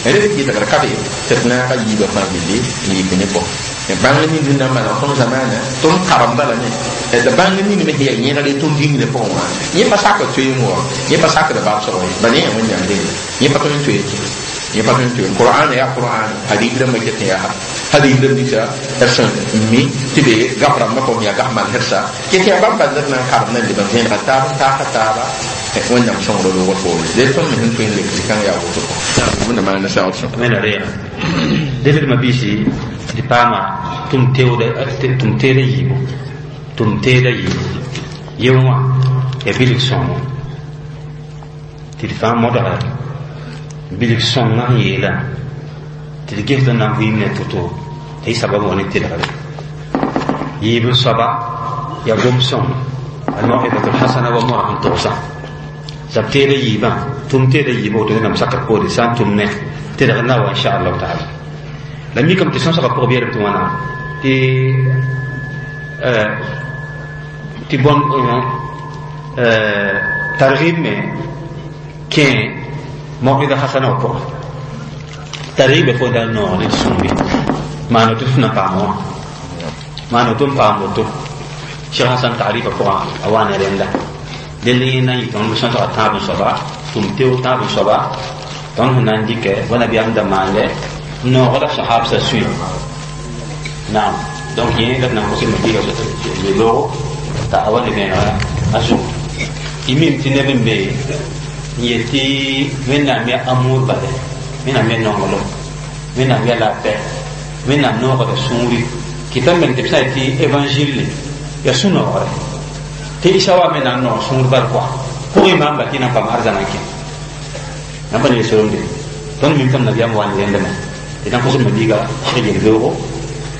red gɩdgr ka be tɩ d naaga yiibã fãa gilli n yik ne pɔ bãng ning sẽn na n maneg tõnd zamaana tõnd karemda lame d bãng ning me sẽn yaa yẽgre tõnd dĩngrã pʋgẽ wã yẽ pa sakd toeem wã yẽ pa sakd babsg ye bala yẽ wẽnnaam dẽnda yẽ pa tõe n toe yẽ pa tõe n toe qur'an yaa qur'an hadith rãmbã ket n yaa hadith rãmb ninsa d sẽn mi tɩ be gaf rãmbã pʋgẽ yaa gaf malgrsa ket yaa bãmb bal d na n karem na n leb n vẽenega taab n taasa taaba wẽnnaam sõngr loogr poore ded tõnd me sẽn tõe n lek zikãng yaa woto wẽnna maana saood sõm wẽnna reega ded d mabiisi tɩ paama tʋm teeda yiibu tʋm teeda yiibu yẽ wã ya bilg sõngo tɩ d fãa modgra bilg sõngã sẽn yeelã tɩ d ges n na n vɩɩm ne to-to tɩ y sabab wa ne tɩlgre yiib n soaba yaa gom sõng almawidatu lhasana wa moa sẽn togsã zab teeda yiibã tʋm teeda yiibã woto wẽnnaam sakr poore sã n tʋm ne tɩlgr na wa inchallahu taala la mikame tɩ sõsgã pʋgã beelem tɩ wãna tɩ tɩ bõn targib me kẽ mawida hasana wã pʋgã targibã fo da n noog ne d sũuri maana tɩ f na paam wã maana tɩ n paam woto Cheikh Hassan taarifa pʋgã a wa ne rẽnda dẽnd yẽ na n yɩ tõnd sõsga tãab n soaba tʋm teo tãab n soaba tõnd sẽn na n dɩkɛ wa nabiyaam da maandɛ noogda sahabsa sũy naam donc yẽ la d na n kos mabiiga loogo t'a a wa ne vẽenega a zugu y mim tɩ neb n be n yel tɩ wẽnnaam yaa amour bale wẽnnaam yaa nonglem wẽnnaam yaa la paix wẽnnaam noogda sũuri kɩta meng tɩ b sã n tɩ évangile yaa sũ-noogre tɩ isa wa me na n noog sũur bal kɔa pʋgẽ maamba tɩ na n paam arzãna n kẽ nan pa ne yel-soremde tõnd mim tɩ m nabiyaam wa ne rẽndame tɩ na n kos mabiiga seg yel-beoogo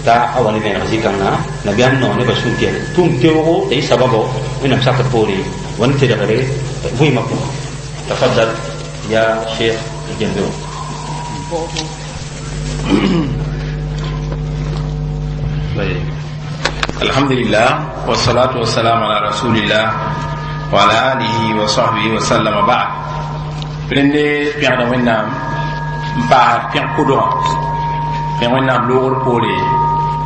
t'a a wa ne vẽeneg zĩ-kãngã nabiyaam noog nebã sũur tɩ tʋʋm teoogo t'a yɩ sababo wẽnnaam sakr poore wa ne tɩlgre vɩɩmã pʋgẽ tafaddal ya cheikh yel-beoog الحمد لله والصلاة والسلام على رسول الله وعلى آله وصحبه وسلم بعد rẽnde pẽgda wẽnnaam n paasd pẽg kʋdgã pẽg wẽnnaam loogr poore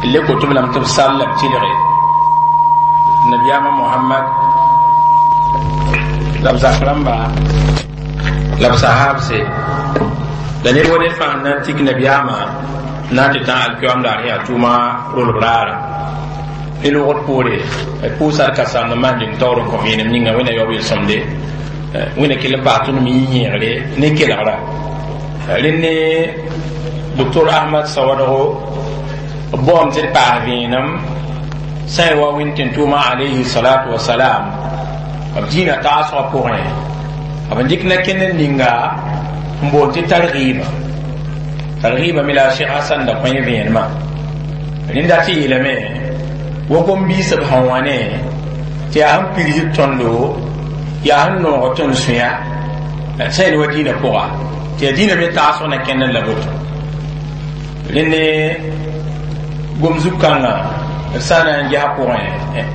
n le koto b lame tɩ b sall la b tɩlge nabiyaamã mohamad la b zak rãmba La b sahabse la ned wa ned fãa na n tik nabiyaamã na n tɩ tã alkiyoam daar yaa tʋʋma rolb raara ne logd poore pʋʋsa d kasaamd n maan dĩng taoor n kõ vẽenem ninga wẽnna yaoob yel-sõmde wẽnna kell n paas tõnd me yĩ-yẽegre ne kelgra rẽnd ne docteur Ahmad Sawadgo b baoom tɩ d paas vẽenem sã n wa wẽnd tɩ n tʋʋma alayhi salatu wasalam b dĩinã taasgã pʋgẽ b n dɩk na-kẽnd ninga n boond tɩ targiiba targiiba me la a Cheikh Hasan da kõ vẽenemã rẽnd dat tɩ yeelame wa gom-biis b sẽn wa ne tɩ yaa sẽn pigsd tõndo yaa sẽn noog tõnd sũya sã n wa dĩinã pʋga tɩ yaa dĩinã me taasg na kẽnd la boto rẽnd ne gom zug-kãngã d sã n na n ges pʋgẽ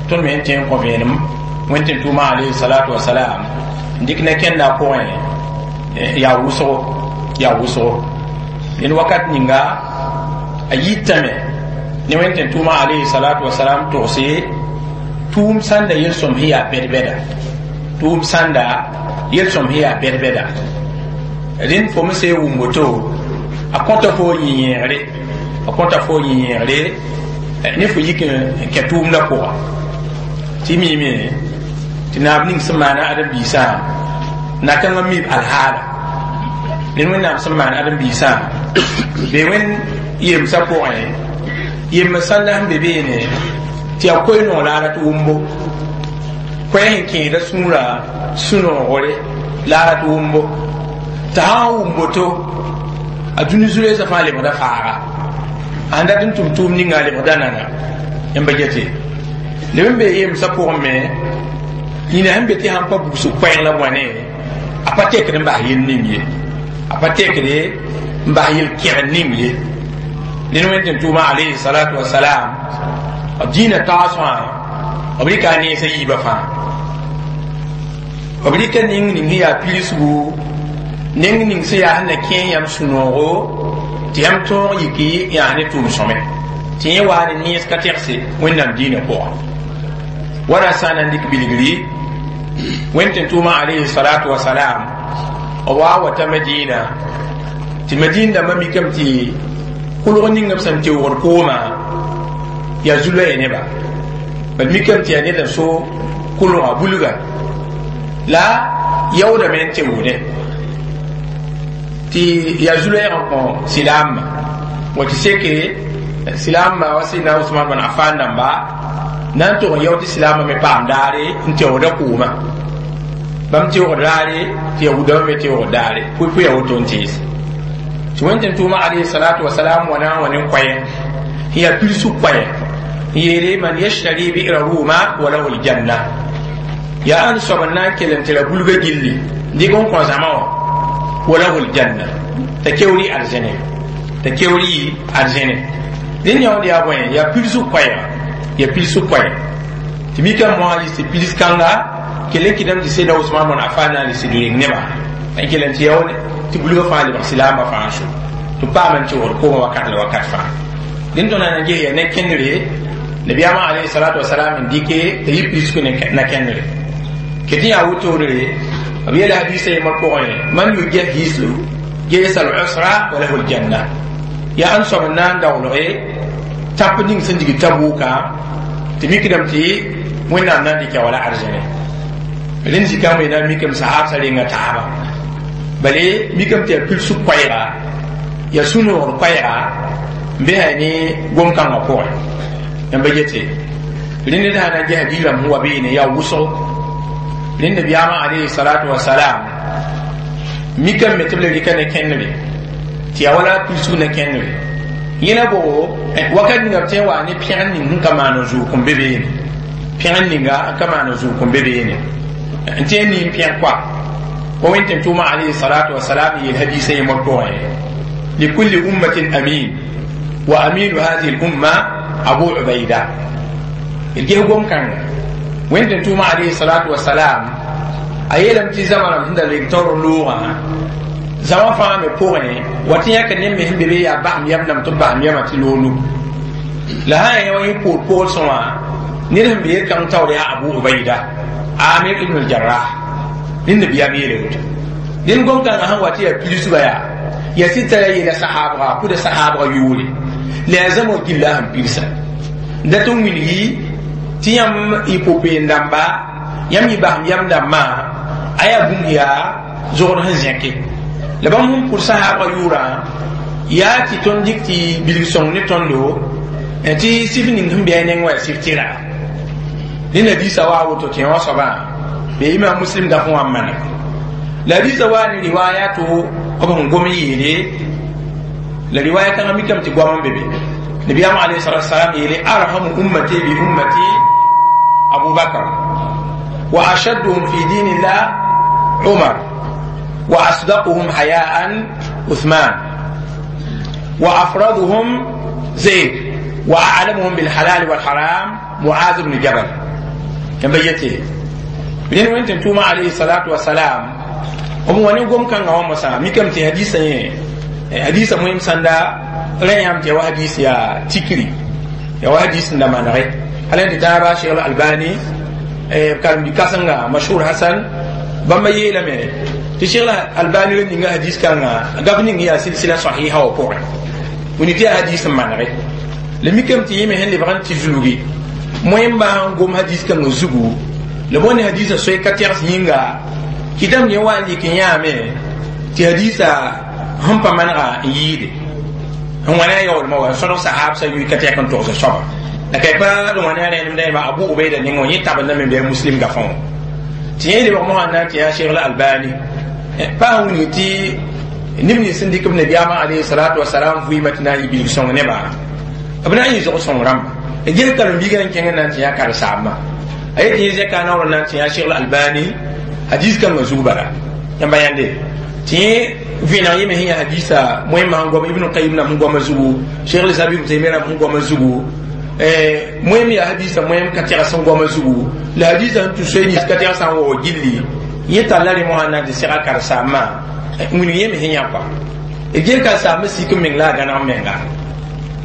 tõnd me sẽn tẽ n kõ vẽenem wẽnd tɩ n tʋʋma alayhi salatu wasalam n dɩk na kẽnda pʋgẽ yaa wʋsgo yaa wʋsgo ned wakat ninga a yitame ne wẽnd tɩ n tʋʋma alayhi salatu wasalam togse tʋʋm sãnda yel-sõm sẽn yaa bɛd-bɛda tʋʋm sãnda yel-sõm sẽn yaa bɛd-bɛda rẽnd fo me sã n wʋm woto a kõta fo yĩ-yẽegre a kõta fo yĩ-yẽegre ne fo yik n kẽ tʋʋmdã pʋga tɩ miime tɩ naab ning sẽn maana ãdem-biisã na-kãngã mib alhaala ned wẽnnaam sẽn maan ãdem-biisã be wẽnd yemsã pʋgẽ yemb sãnda sẽn be beene tɩ yaa koe-noog laara tɩ wʋmbo koɛɛ sẽn kẽeda sũurã sũ-noogre laara tɩ wʋmbo t'a sã n wʋm woto a dũni zu-loeesã fãa lebgda faaga ãn dat n tʋm tʋʋm ninga a lebgda nana yãmba gete leb n bee yemsã pʋgẽ me yĩna sẽn be tɩ sãn pa bugsg koɛɛg la bõane a pa tekd n bas yel ning ye a pa tekde n bas yel-kẽgd ning ye ned wẽnd tɩ n tʋʋma alayhi salatu wasalam b dĩinã taasgã b rɩka a neesã yiibã fãa b rɩka ning ning sẽn yaa pirsgu neng ning sẽn yaa sẽn na kẽe yãmb sũ-noogo tɩ yãmb tõog yiki yaa ne tʋʋm sõme tɩ yẽ waa ne nees ka tɛgse wẽnnaam dĩinã pʋga wala sã n na n dɩk bilgri wẽnd tɩ n tʋʋma alayhi salatu wasalam b wa wata Madina tɩ Madina dãmbã mikame tɩ kʋlg ning b sẽn teoogd koomã yaa zu-loɛɛ neba bad mikame tɩ yaa ned n so kʋlga bulga la yaoodame n teoogdẽ tɩ yaa zu-loɛɛg n kõ silaamã wa tɩ seke silaamã wa sẽdna Usman bn Afan dãmba na n tʋg n yao tɩ silaamã me paam daare n teoogda koomã bãmb teoogd raare tɩ yahudãmbã me teoogd daare pʋɩ-pʋɩ woto n tees tɩ wẽnd tɩ n tʋʋma alayhi salatu wasalam wa na n wa ne koɛɛ n yaa pirsg koɛɛ n yeele man yashtari bi'ra ruma wa lahu aljanna yaa ãn soab n na n kell n tɩ ra bulga gilli n dɩk n kõ zãma wã wa lahu aljanna t'a keoori arzẽne t'a keoori arzẽne rẽnd yãood yaa bõe yaa pirsg koɛɛga yaa pirsg koɛɛ tɩ mikame moasã yɩs tɩ pirs kãnga kell n kɩdame tɩ sẽdna Usman bn Afan na n lis reng nebã n kell n tɩ yao tɩ bulgã fãa lebg silaamã fãa so tɩ paam n teoogd koomã wakat la wakat fãa dẽnd tõnd na n ges yaa ne kẽndre nabiyaamã alayhi salatu wasalam n dɩke t'a yɩ pirsg na kẽndre ket n yaa wotore b yeela hadisa yembr pʋgẽ man yujahisu jaysa al-usra wa lahu al-janna yaa ãn soab n na n daoolge tãp ning sẽn dig Tabuka tɩ mikdame tɩ wẽnnaam na n dɩka wala arzẽne rẽnd zikãmb na n mikame sahabsã renga taaba bale mikame tɩ yaa pirsg koɛɛga yaa sũ-noogd koɛɛga n besa ne gom-kãngã pʋgẽ yãmba yete rẽnd ned sã na n ges hadiirãmb sẽn wa beene yaa wʋsgo rẽnd nabiyaamã alayhi salatu wasalam mikame tɩ b le rɩka ne kẽndre tɩ yaa wala pirsg ne kẽndre yẽna bogo wakat ninga b tõe n wa ne pẽgr ning sẽn ka maan zʋʋk n be beene pẽgr ninga n ka maan zʋʋk n be beene n tõe n nin pẽg koa wa wẽnd tɩ n tʋʋma alayhi salatu wasalam n yeel hadisa yẽmbr pʋgẽ likulli ummatin amin wa aminu hadihi lumma Abu Ubaida d ges gom-kãnga wẽnd tɩ n tʋʋma alayhi salatu wasalam a yeelame tɩ zãma rãmb sẽn da reng taoor loogã zãma fãa me pʋgẽ wa tɩ yãk ne me sẽn be be yaa basem yam nam tɩ b basem yamã tɩ loog nug la sã n yã wa yẽ poor poolsẽ wã ned sẽn be yel-kãng taoor yaa Abu Ubaida Amir ibn al-Jarrah rẽnd nabiyaam yeele woto Dẽnd gom kãngã sẽn wa tɩ yaa pidsgã yaa ya sɩd t'a yeela sahaabga a kʋda sahaabga yʋʋre la yaa zãma gilla sẽn pidsa n dat n wilgi tɩ yãmb y pʋ-peend dãmba yãmb yɩ basem yam dãmbã a yaa bũmb yaa zogd sẽn zẽke la bãmb sẽn pʋd sahaabga yʋʋrã yaa tɩ tõnd dɩk tɩ bilg sõng ne tõndo tɩ sɩf ning sẽn bɩ a neng wã yaa sɩf tɩra rẽnd hadiisa wa a woto tɩ wã soabã be imam muslim daf wã n maneg la hadiisa waa ne riwaya to b sẽn gom yeele la riwaya kãngã mikame tɩ goam n be be nabiyaam alayhi salatu wasalam yeele arhamu ummati bi ummati abu bakr wa ashadduhum fi dinillah umar wa asdaquhum hayaan uthman wa afraduhum zayd wa a'lamuhum bilhalal walharam muaz bn jabal yãmba yete rẽnd wẽn tʋʋma alayhi salatu wasalam b wa ne gom kãngã wã mosã mikame tɩ hadisã yẽ hadisa moem sãnda rẽ yãmb tɩ ya wa hadis yaa tikri ya wa hadis n da manege hal tɩ taaba Cheikh Albani karen-bi-kãsenga mashhur hasan bãmba yeelame tɩ Cheikh Albani ra ninga hadis kãnga gaf ning yaa silsila sahiha wã pʋgẽ wini tɩ yaa hadis n manege la mikame tɩ yẽ me sẽn lebg n tɩ zulgi moẽmba sẽn gom hadis kãngã zugu la bõe ne hadisã soe ka tɛgs yĩnga kɩtame yẽ wa n lɩk n yãame tɩ hadisa sẽn pa manega n yɩɩde n wãna a yaoolmã wa n sõdg sahaabsã yʋɩ ka tɛk n togs soaba la ka pa d wãna a rẽnemda yẽma abu ubaida nengẽ wã yẽ tabendame bɩ a muslim gafã wã tɩ yẽ lebg mosã n na n tɩ yaa Cheikh Albani pa sẽn wilg tɩ neb nins sẽn dɩk b nabiyaamã alayhi salatu wasalam vɩɩmã tɩ na n yɩ bilg sõng nebã b na n yɩ zog sõng rãmba gel karen-biigã n kẽng n na n tɩ yã karen-saambã a yet yẽ zɛka naoor n na n tɩ yã Cheikh Albani hadis kãngã zug bala yãmba yãnde tɩ yẽ vẽeneg yẽ me sẽn yaa hadisa moẽmã sẽn goam Ibn Qayim nam sẽn goamã zugu Cheikh Lislam Ibn Taymiyya nam sẽn goamã zugu moẽm yaa hadisa moẽm ka tɛgs sẽn goamã zugu la hadisa sẽn tũ soe nins ka tɛgs sã n waoog gilli yẽ talla rẽ mosã n na n tɩ sega karen-saambã wilg yẽ me sẽn yã kɔa d gel karen-saambã sik n meng la a gãneg menga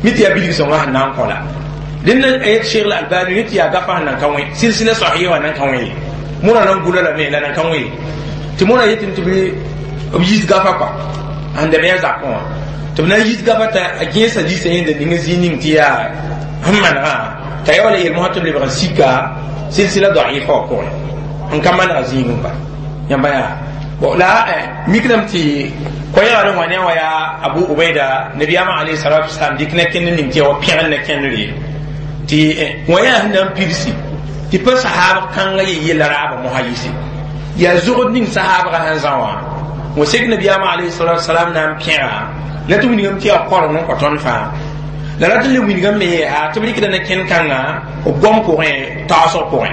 mi tɩ yaa bilg sõngã sẽn na n kõ la dẽnna yet Cheikh Albani ne tɩ yaa gafa sẽn nan ka wẽ silsila sahiha wã nan ka wẽ ye mõra nan gula lame la nan ka wẽ ye tɩ mõra yetɩ tɩ b yis gafa kɔa sẽn da bɩ a zakẽ wã tɩ b na n yis gafa t'a a gẽesa diisã yẽnda ning zĩig ning tɩ yaa sẽn manegã t'a ya wala yel mosã tɩ b lebg n sika silsila daifa wã pʋgẽ n ka maneg zĩigẽ pa yãmba yaa bon la mikdame tɩ koɛɛgã rẽ wã ne wã yaa abu ubaida nabiyaamã alayhi salatu wasalam dɩk na kẽnd ning tɩ ya wa pẽgr na kẽndre tɩ wã yaa sẽn na n pidsi tɩ pa sahaab kãngã ye yella raabã mosã yɩse yaa zogd ning sahaabgã sẽn zã wã wã sek nabiyaamã alayhi salatu wasalam na n pẽga la tɩ wilgame tɩ yaa koreng n kõ tõnd fãa la rat n le wilgame me yeesa tɩ b rɩkda na kẽnd kãngã b goam pʋgẽ taoosg pʋgẽ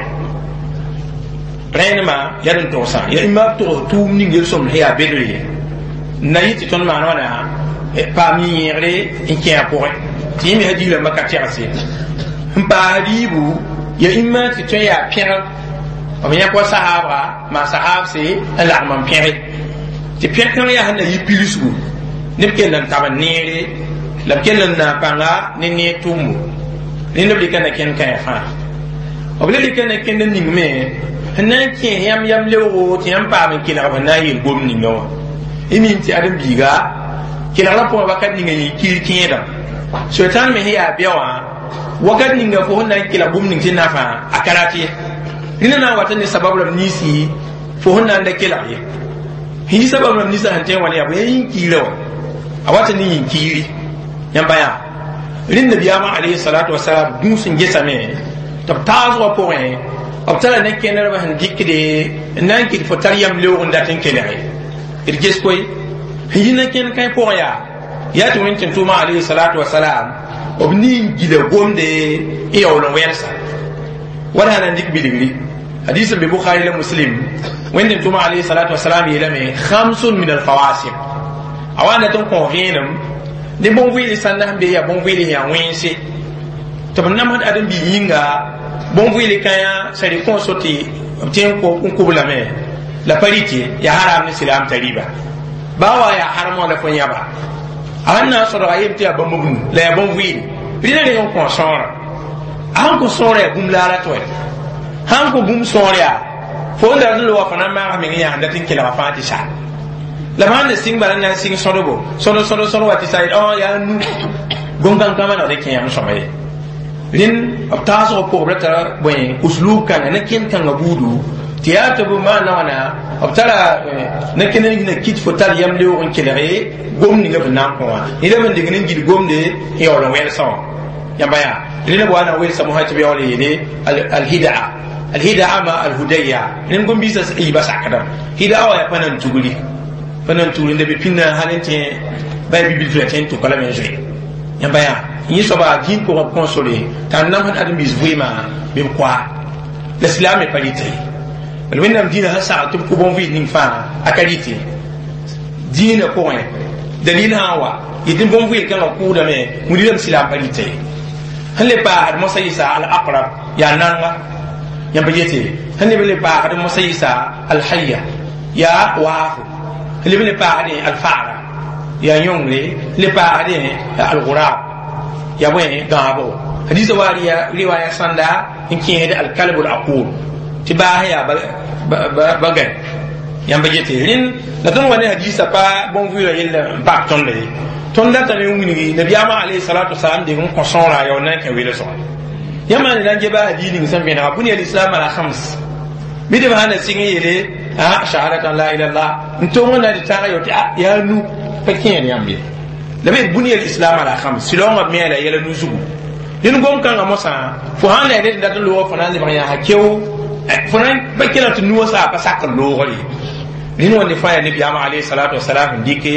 rẽndmã yaa d n togsã yaa imma b togs tʋʋm ning yel-sõmd sẽn yaa bedre n na yɩ tɩ tõnd maan wãna paam yẽegre n kẽ a pʋgẽ tɩ yẽ me hadiis rãmbã ka tɛgse n paas riibu ya imma tɩ tõe yaa pẽgr b yãk wa sahaabga maa sahaabse n lagm n pẽge tɩ pẽg kãng yaa sẽn na yɩ pidsgu neb kell n tab n neere la b kell n na pãnga ne neer tʋʋmbo rẽnd b rɩka na kẽnd kãe fãa b le rɩka na kẽnd n ning me sẽn na n kẽes yãmb yam leoogo tɩ yãmb paam n kelg b sẽn na n yeel gom ninga wã y mim tɩ ãdem-biiga kelgrã pʋgẽ wakat ninga yẽ kiir kẽedã soetãn me sẽn yaa bɛ wã wakat ninga fo sẽn na n kelg bũmb ning tɩ nafã a ka rat ye rẽnda na n wata ne sabab rãmb ninsi fo sẽn na n da kelg ye sẽn yi sabab rãmb ninsã sẽn tõe n wa ne yaa bõe yaa yĩn-kiirã wã a wata ne yĩn-kiiri yãmba yaa rẽnd nabiyaamã alayhi salatu wasalam gũus n gesame tɩ b taasgã pʋgẽ b tara ne kẽnerba sẽn dɩkde n na n kɩt fo tar yam leoog n dat n kelge d ges koe sẽn yi na kẽnd kãe pʋgẽ yaa yaa tɩ wẽn tɩ tʋʋmã alayhi salatu wasalam b nin gila gomde n yaool n wɛlsa wala sã na n dɩk bilgri hadis n be Bukhari la Muslim wẽnd tɩ tʋʋmã alayhi salatu wasalam yeelame khamsun min alfawasiq a wa n dat n kõ vẽenem ne bõn-vɩɩl sãnda sẽn be yaa bõn-vɩɩl yaa wẽnse tɩ b namsd ãdem-biig yĩnga bõn-vɩɩl kãyã sã rɩ kõ so tɩ b tẽ n kʋb lame la pa rɩt ye yaa haram ne silaam t'a rɩba baa wa yaa harmã la fo yãba a sẽn na n sõdga yem tɩ yaa bãmb b nu la yaa bõn-vɩɩle rẽna reng n kõ sõora a sẽn kõ sõora yaa bũmb laara tɩ wɛ sãn kõ bũmb sõor yaa fo n dat n loga fo na n maag meng yaa sẽn dat n kelga fãa tɩ sa La maan ne sɩng bala na n sɩng sõdbo sõd sõd sõd wa tɩ sa yaa nu gom-kãn-kãmã na rɩk yãmb sõma ye rẽnd b taasg pʋgb ra tara bõe uslub kãnga ne kẽnd kãngã buudu tɩ yaa tɩ b maana wãna b tara ne kẽnd n kit fo tar yam leoog n kelge gom ninga b na n kõ wã neda b n deng n gil gomde n yaool n wɛlsã wã yãmba yaa rẽnd b wa na welsa mosã tɩ b yaool n yeele alhidaa alhidaa ma alhudaya rẽnd gom-biisã yiibã sakdame hidaa wã yaa pa nan tugri pa nan tugri nda be pĩnda hal n tẽ ba bibilf la tẽ n tʋka lame n zoe yãmba yaa yẽ soaba dĩin pʋgã b kõsore t'a nam sẽn ãdem-biis vɩɩmã bɩ b koa la silaam me pa rɩte la wẽnnaam dĩinã sẽn sagl tɩ b kʋ bõn-vɩɩs ning fãa a ka rɩte dĩinã pʋgẽ dalil sã n wa yetɩ bõn-vɩɩl kãngã kʋʋdame wilgame silaam pa rɩte sẽn le paasd mosã yɩsa al-aqrab yaa nanga yãmb yete sẽn leb n le paasd mosã yɩsa al-hayya yaa waafo sẽn leb n le paasdẽ al-fa'ra yaa yõngre sẽn le paasdẽ al-gurab yaa bõe gãabo hadisa wa riwaya sãnda n kẽesd al-kalb al-aqul tɩ baas yaa ba gãe yãmb yete rẽnd la tõnd wa ne hadisa pa bõn-vɩɩlã yell n paak tõnda ye tõnd datame n wilgi nabiyaamã alayhi salatu wasalam deng n kõ sõora yaool na n kẽ welesgã yãmb ne na n geba hadis ning sẽn vẽnega bunya lislam ala khams bɩ d sã na sɩng n yeele shahadatan la ilaha illallah n tong n na tɩ tãag yo tɩ yaa nu pa kẽed yãmb ye la b bunya lislam ala khams silaongã b me la yɛla nu zugu dẽnd gom-kãngã mosã fo sãn la ned n dat n loog fo na n lebg yãasa keo fo na pa kelg tɩ nuwã saa pa sak n loogre rẽnd wãnde fãa yaa nabiyaamã alayhi salatu wasalam n dɩke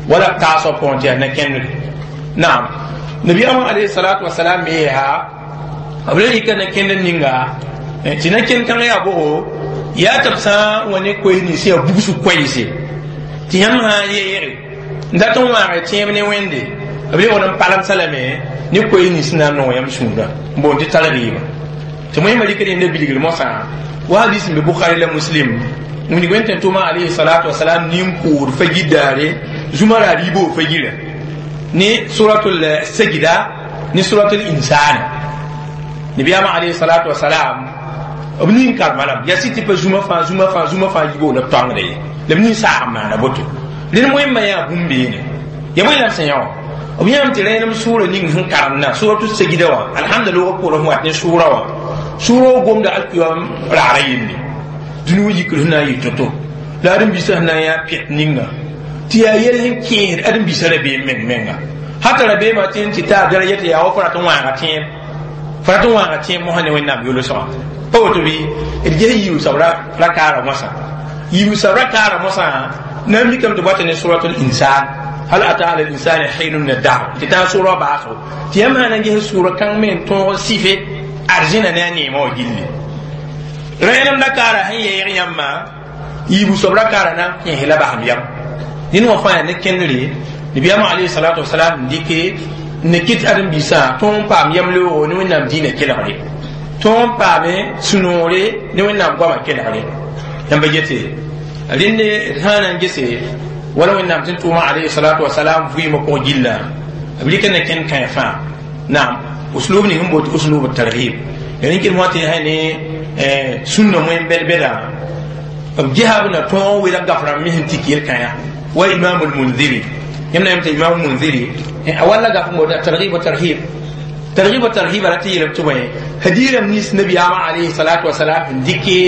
wala b taasg pʋgẽ tɩ yaa na-kẽndre naam nabiyaamã alayhi salatu wasalam me yaa b ra rɩka na-kẽnd ninga tɩ na-kẽnd kãngã yaa bogo yaa tɩ b sã n wa ne koees nins yaa bugsg koɛɛse tɩ yãmb sã n yeege n dat n wãage tẽeb ne wẽnde b lebgd n palemsa lame ne koees nins na n nong yãmb sũurã n boond tɩ targiima tɩ wẽmba rɩk rẽnda bilgr mosã wa hadis n be Bukhari la Muslim wilg wẽn tɩ tʋma alayhi salatu wasalam nin-kʋʋd fagir daare zũma ra riibo fagira ne suratul sajda ne suratul insana nabiyaama alayhi salatu wasalam b nin karema lame yaa sɩ tɩ pa zũma fãa zũma fãa zũma fãa yibo la b tõangda ye la b nin saag n maana boto rẽnd wẽmba yaa bũmb beene ya bõe la b sẽn yã wã b yãam tɩ rẽenem sʋʋra ning sẽn karemdã suratu sajda wã alhamdulillah pʋgr sẽn wat ne sʋʋra wã sʋʋra w gomda alkiyam raara yelle dũni wã yikr sẽn na n yɩ to-to la ãdem-biisã sẽn na n yaa pɛt ninga tɩ yaa yɛl sẽn kẽesd ãdem-biisã rabeem meng menga hata rabeemã tɩ n tɩ taa daraja tɩ yaa wa fo rat n wãaga tẽeb fo rat n wãaga tẽeb mosã ne wẽnnaam yolsgã pa woto bɩ d ges yiib soab ra kaara mosã yiib soab ra kaara mosã na n mikame tɩ bɔta ne suratul insan hal ata ala linsani hinun min addahr tɩ tãag sʋʋra baasgo tɩ yãmb sã na n ges sʋʋra kãng me n tõog sɩfe arzẽna ne a neemã wã gilli rẽenem la kaara sẽn yeeg yãmbã yiibu soab ra kaara na n kẽes la basem yam dẽnd wã fãa yaa ne kẽndre nabiyaamã alayhi salatu wasalam n dɩke n ne kɩt ãdem-biisã tõog n paam yam leoogo ne wẽnnaam dĩinã kelgre tõog n paame sũ-noore ne wẽnnaam goamã kelgre yãmba yete rẽnde d sã na n gese wala wẽnnaam tɩ n tʋʋmã alayhi salatu wasalam vɩɩmã pʋgẽ gillã b rɩka ne kẽnd kãe fãa naam uslub ning n boot uslub targhib ya rẽn kɩd mosã tɩ ne sũnna wẽn bɛd-bɛdã b gesa b na tõog wela gaf rãmb me sẽn tik yel-kãyã wa imam al-munziri yãmb na yãmb tɩ imam munziri a walla gaf n boota targhib wa tarhib targhib wa tarhib ala tɩ yeelame tɩ bõe hadiirame nins nabiyaamã alayhi salatu wasalam sẽn dɩke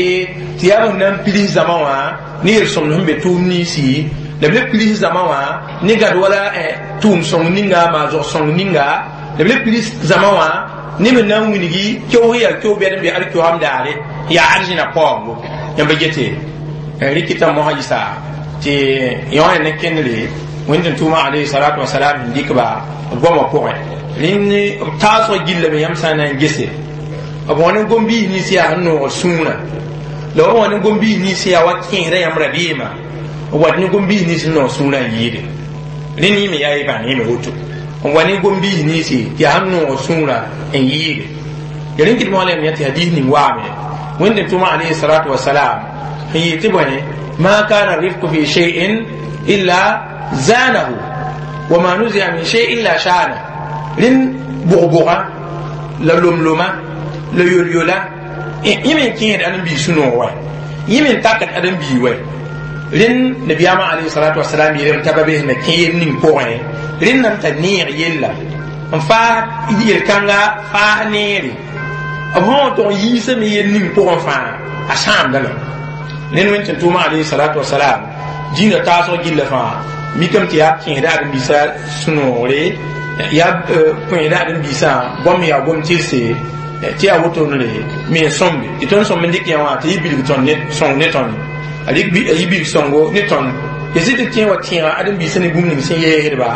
tɩ yaa b na n pids zãma wã ne yel-sõmd sẽn be tʋʋm ninsi la b le pids zãma wã ne gad wala tʋʋm sõng ninga maazg sõng ninga la b le pids zãma wã ne b na n wilgi keoog yaa keoog bɛd n be alkiyoam daare yaa arzẽna paoongo yãmba gete rɩkɩta mosã yɩsa tɩ yõ ne kẽndre wẽnd tɩ tʋʋmã alayhi salatu wasalam n dɩk-ba b goamã pʋgẽ rẽnd b taasg gillame yãmb sã n na n gese b wã ne gom-biis nins yaa sẽn noog sũurã la b wã ne gom-biis nins yaa wa kẽesda yãmb rabeemã b wat ne gom-biis nins sẽn noog sũurã n yɩɩde rẽnd yẽme yaa y bãng yẽme woto n wa ne gom-biis ninsi tɩ yaa sẽn noog sũurã n yɩɩde ya rẽn kɩd moa yãmb yã tɩ hadis ning waame wẽnd tɩ tʋʋmã alayhi salatu wasalam sẽn yɩɩ tɩ bõe ma kana rifku fi shay'in illa zanahu wa ma nuzia min shay illa shana rẽnd bʋg-bʋga la lom-loma la yol-yola yẽ me n kẽed ãdem-biis sũ-noog wa yẽ me n takd ãdem-bii wa Rẽnd nabiyaamã alayhi salatu wasalam yeelame t'a ba bes na kẽ yel ning pʋgẽ rẽndame t'a neeg yella n faas yel-kãnga faas neere b sã wa tog n yiisame yel ning pʋgẽ fãa a sãamdame rẽnd wẽn tɩ tʋʋmã alayhi salatu wasalam dĩinã taasg gilla fãa mikame tɩ yaa kẽesda ãdem-biisã sũ-noogre yaa kẽesda ãdem-biisã goam yaa gom tɩrse tɩ yaa wotonre me n sõmbe tɩ tõnd sõmb n dɩk yã wã tɩ yɩ bilg sõng ne tõnd a yɩ bilg sõngo ne tõnd ya zɩ tɩ tẽ wa tẽega ãdem-biisã ne bũmb ning sẽn yeesdba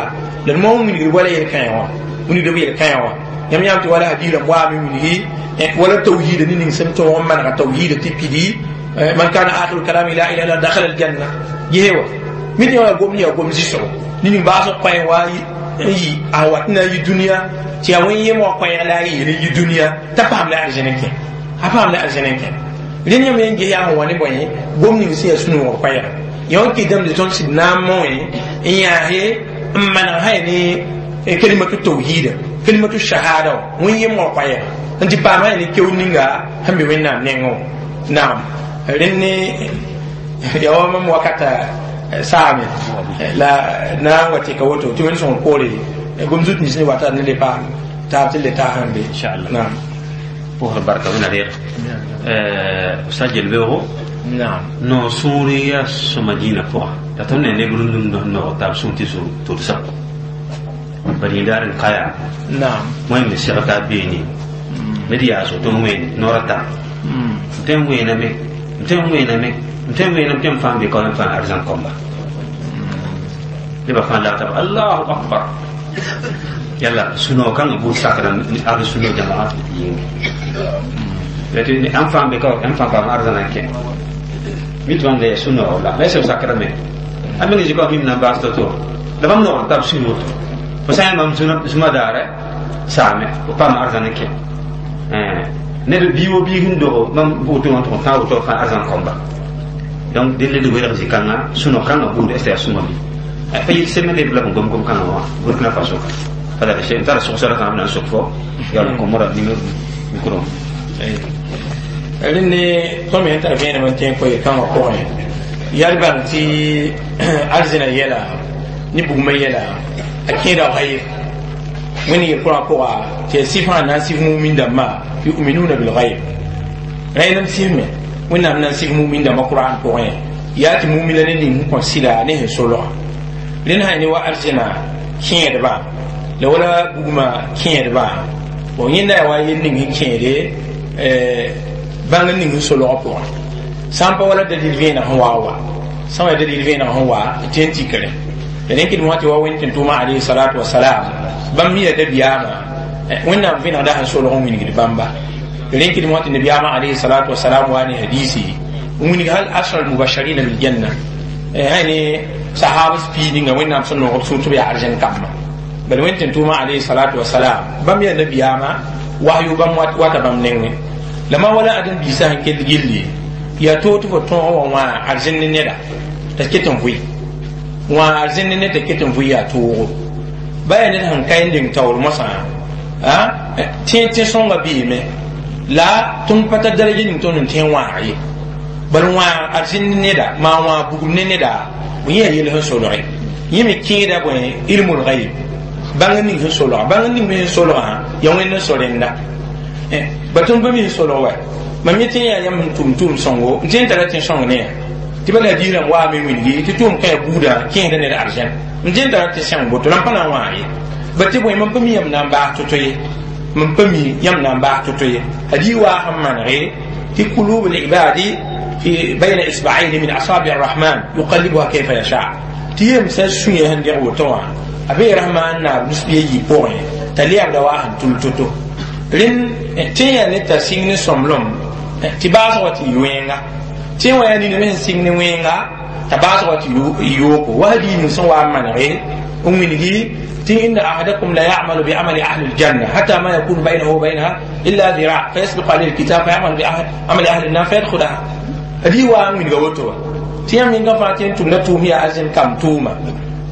la d moon wilgd wala yel-kãe wã wilgd b yel-kãe wã yãmb yãam tɩ wala hadiirã waame wilgi wala tawhiida ne ning sẽn tõog n manega tawhiida tɩ pidi man kana akhiru kalami la ilaha illa dakhala aljanna gese wa mi tɩ yaa gom yaa gom zɩsgo ning baasg koɛɛ wa n yi a wat na yi dũniyã tɩ yaa wẽn yem wa koɛɛg la a yeel n yi dũniyã t'a paam la arzẽn n kẽ a paam la arzẽn n kẽ rẽnd yãmb yẽn ges yaa sẽn wa ne bõe gom ning sẽn yaa sũ-noogr koɛɛga yã wã kɩdame tɩ tõnd sɩd na n moẽ n yãase n maneg sã ne kalimatu tawhida kalimatu shahada wã wẽn yem wã koɛɛga n tɩ paam sã ne keood ninga sẽn be wẽnnaam nengẽ wã naam rẽnd ne yaa wa mam wakata saame la na n wa tɩka woto tɩ wẽnd sõng poore gom zut nins ne wata ne le paam taab tɩ le taasã be inchallah naam pʋsg barka wẽnna reeg ustad yel-beoogo naam no sũur yaa sõma dĩinã pʋga la tõnd ne neb rũndum noog taab sũur tɩ tʋlsa bad yĩndaar n ka yaa naam wẽnd me segl taab beene ned yaasg tɩ n wẽen noor a ta n tõe n wẽename n tõe n wẽename n tõe n wẽename tɩ n fãa be ka n fãa arzãn kõmba nebã fãa lagtame allahu akbar yalla sũ-noog kãngã buud sakda ad sũ-noog jamaa yĩnge tɩ ãn fãa be ka ãn fãa paam arzãna n kẽ mi tɩ bãmb da yaa sũ-noog la la sẽb sakrame a meng zɩka mim na n baas to-to la bãmb noog n tab sũ woto fo sã n yaa mam zũma daare saame fo paam arzãn n kẽ ned bii wo biig n dogo mam woto wã tʋg n tãag woto fãa arzãn kõmba donc dẽnd d welg zĩ-kãngã sũ-noog kãngã buud est yaa sõma bɩ pa yel sẽm leb la b gom gom kãngã wã Burkina Faso ka pa n tara sogsra fãa b na n sok fo yaa n kõmra micro. Rẽnd ne tõnd me sẽn tar vẽenem n tẽ n kõ yel-kãngã pʋgẽ yaa d bãng tɩ arzẽna yɛla ne bugmã yɛla a kẽeda gayb wẽnd yel-kʋrã pʋga tɩ yaa sɩf sã na n sɩf mumin dãmbã yuminuna bilgayb rẽenem sɩfme wẽnnaam na n sɩf mumin dãmbã qur'an pʋgẽ yaa tɩ mumina ne ning sẽn kõ sɩda ne sẽn solga rẽnd sã ne wa arzẽna kẽedbã la wala bugmã kẽedbã bon yẽnda yaa wa yel ning sẽn kẽede bãng ning sẽn solgã pʋgẽ sã n pa wala dalil vẽeneg sẽn wa wa sã n wa dalil vẽeneg sẽn wa tɩ n tikre la rẽn kɩdem wã tɩ wa wẽnd tɩ n tʋʋmã alayhi salatu wasalam bãmb mi yaa dabiyaamã wẽnnaam vẽenegda sẽn solg n wilgd bãmba rẽn kɩdem wã tɩ nabiyaamã alayhi salatu wasalam wa ne hadisi n wilg hal ashra almubasharina biljanna sã ne sahabs pii ninga wẽnnaam sẽn noog b sũur tɩ b yaa arzẽn kambã bala wẽnd tɩ n tʋʋmã alayhi salatu wasalam bãmb yaa nabiyaamã wahyu bãmb wata bãmb nengẽ la ma wala ãdem-biisã sẽn kell gilli yaa toog tɩ fo tõog wã wã arzẽn ne neda t'a ket n vʋɩ wã arzẽn ne ned t'a ket n vʋɩ yaa toogo ba yaa ned sẽn ka n deng taoor mosã tẽ tẽ sõnga beeme la tõnd pa tar daraja ning tõnd n tẽ n wãag ye bal wãag arzẽn ne neda maa wãag bugum ne neda bõe yaa yel sẽn solge yẽ me kẽeda bõe ilmul ghaib bãng ning sẽn solga bãng ning me sẽn solgã yaa wẽnd n so rẽnda ba tõnd pa mi sẽn solg wa mam yẽ tẽ yaa yãmb n tʋm tʋʋm sõngo n tẽ n tara tẽ sõng ne ya tɩ bala diirã waame wilgi tɩ tʋʋm kã buudã kẽesda ned arzẽn n tẽ n tara tɩ sẽng boto la n pa na n wãag ye ba tɩ bõe mam pa mi yãmb na n baas to-to ye mam pa mi yãmb na n baas to-to ye hadi waa sẽn manege tɩ kulub libadi fi bayna isba'ayn min asabi arrahman yuqallibuha kayfa yasha tɩ yemsã sũyã sẽn deg woto wã a bee rahman naab nus-biã yi pʋgẽ t'a leebda waa sẽn tul to-to rẽnd tẽ yaa ne t'a sɩng ne sõmblem tɩ baasg wa tɩ yɩ wẽnga tẽ wã yaa nina me sẽn sɩng ne wẽnga t'a baasg wa tɩ yooko wa hadiis ning sẽn wa n manege n wilgi tɩ inna ahadakum la ya'malu bi amali ahli aljanna hatta ma yakunu baynahu wa baynaha illa dhira' fayasbiqu alayhi alkitab fayamalu bi amali ahli an-nar fayadkhulaha hadiis wa n wilga woto wa tɩ yãmb yẽnga fãa tɩ n tʋmda tʋʋm yaa arzẽn kam tʋʋma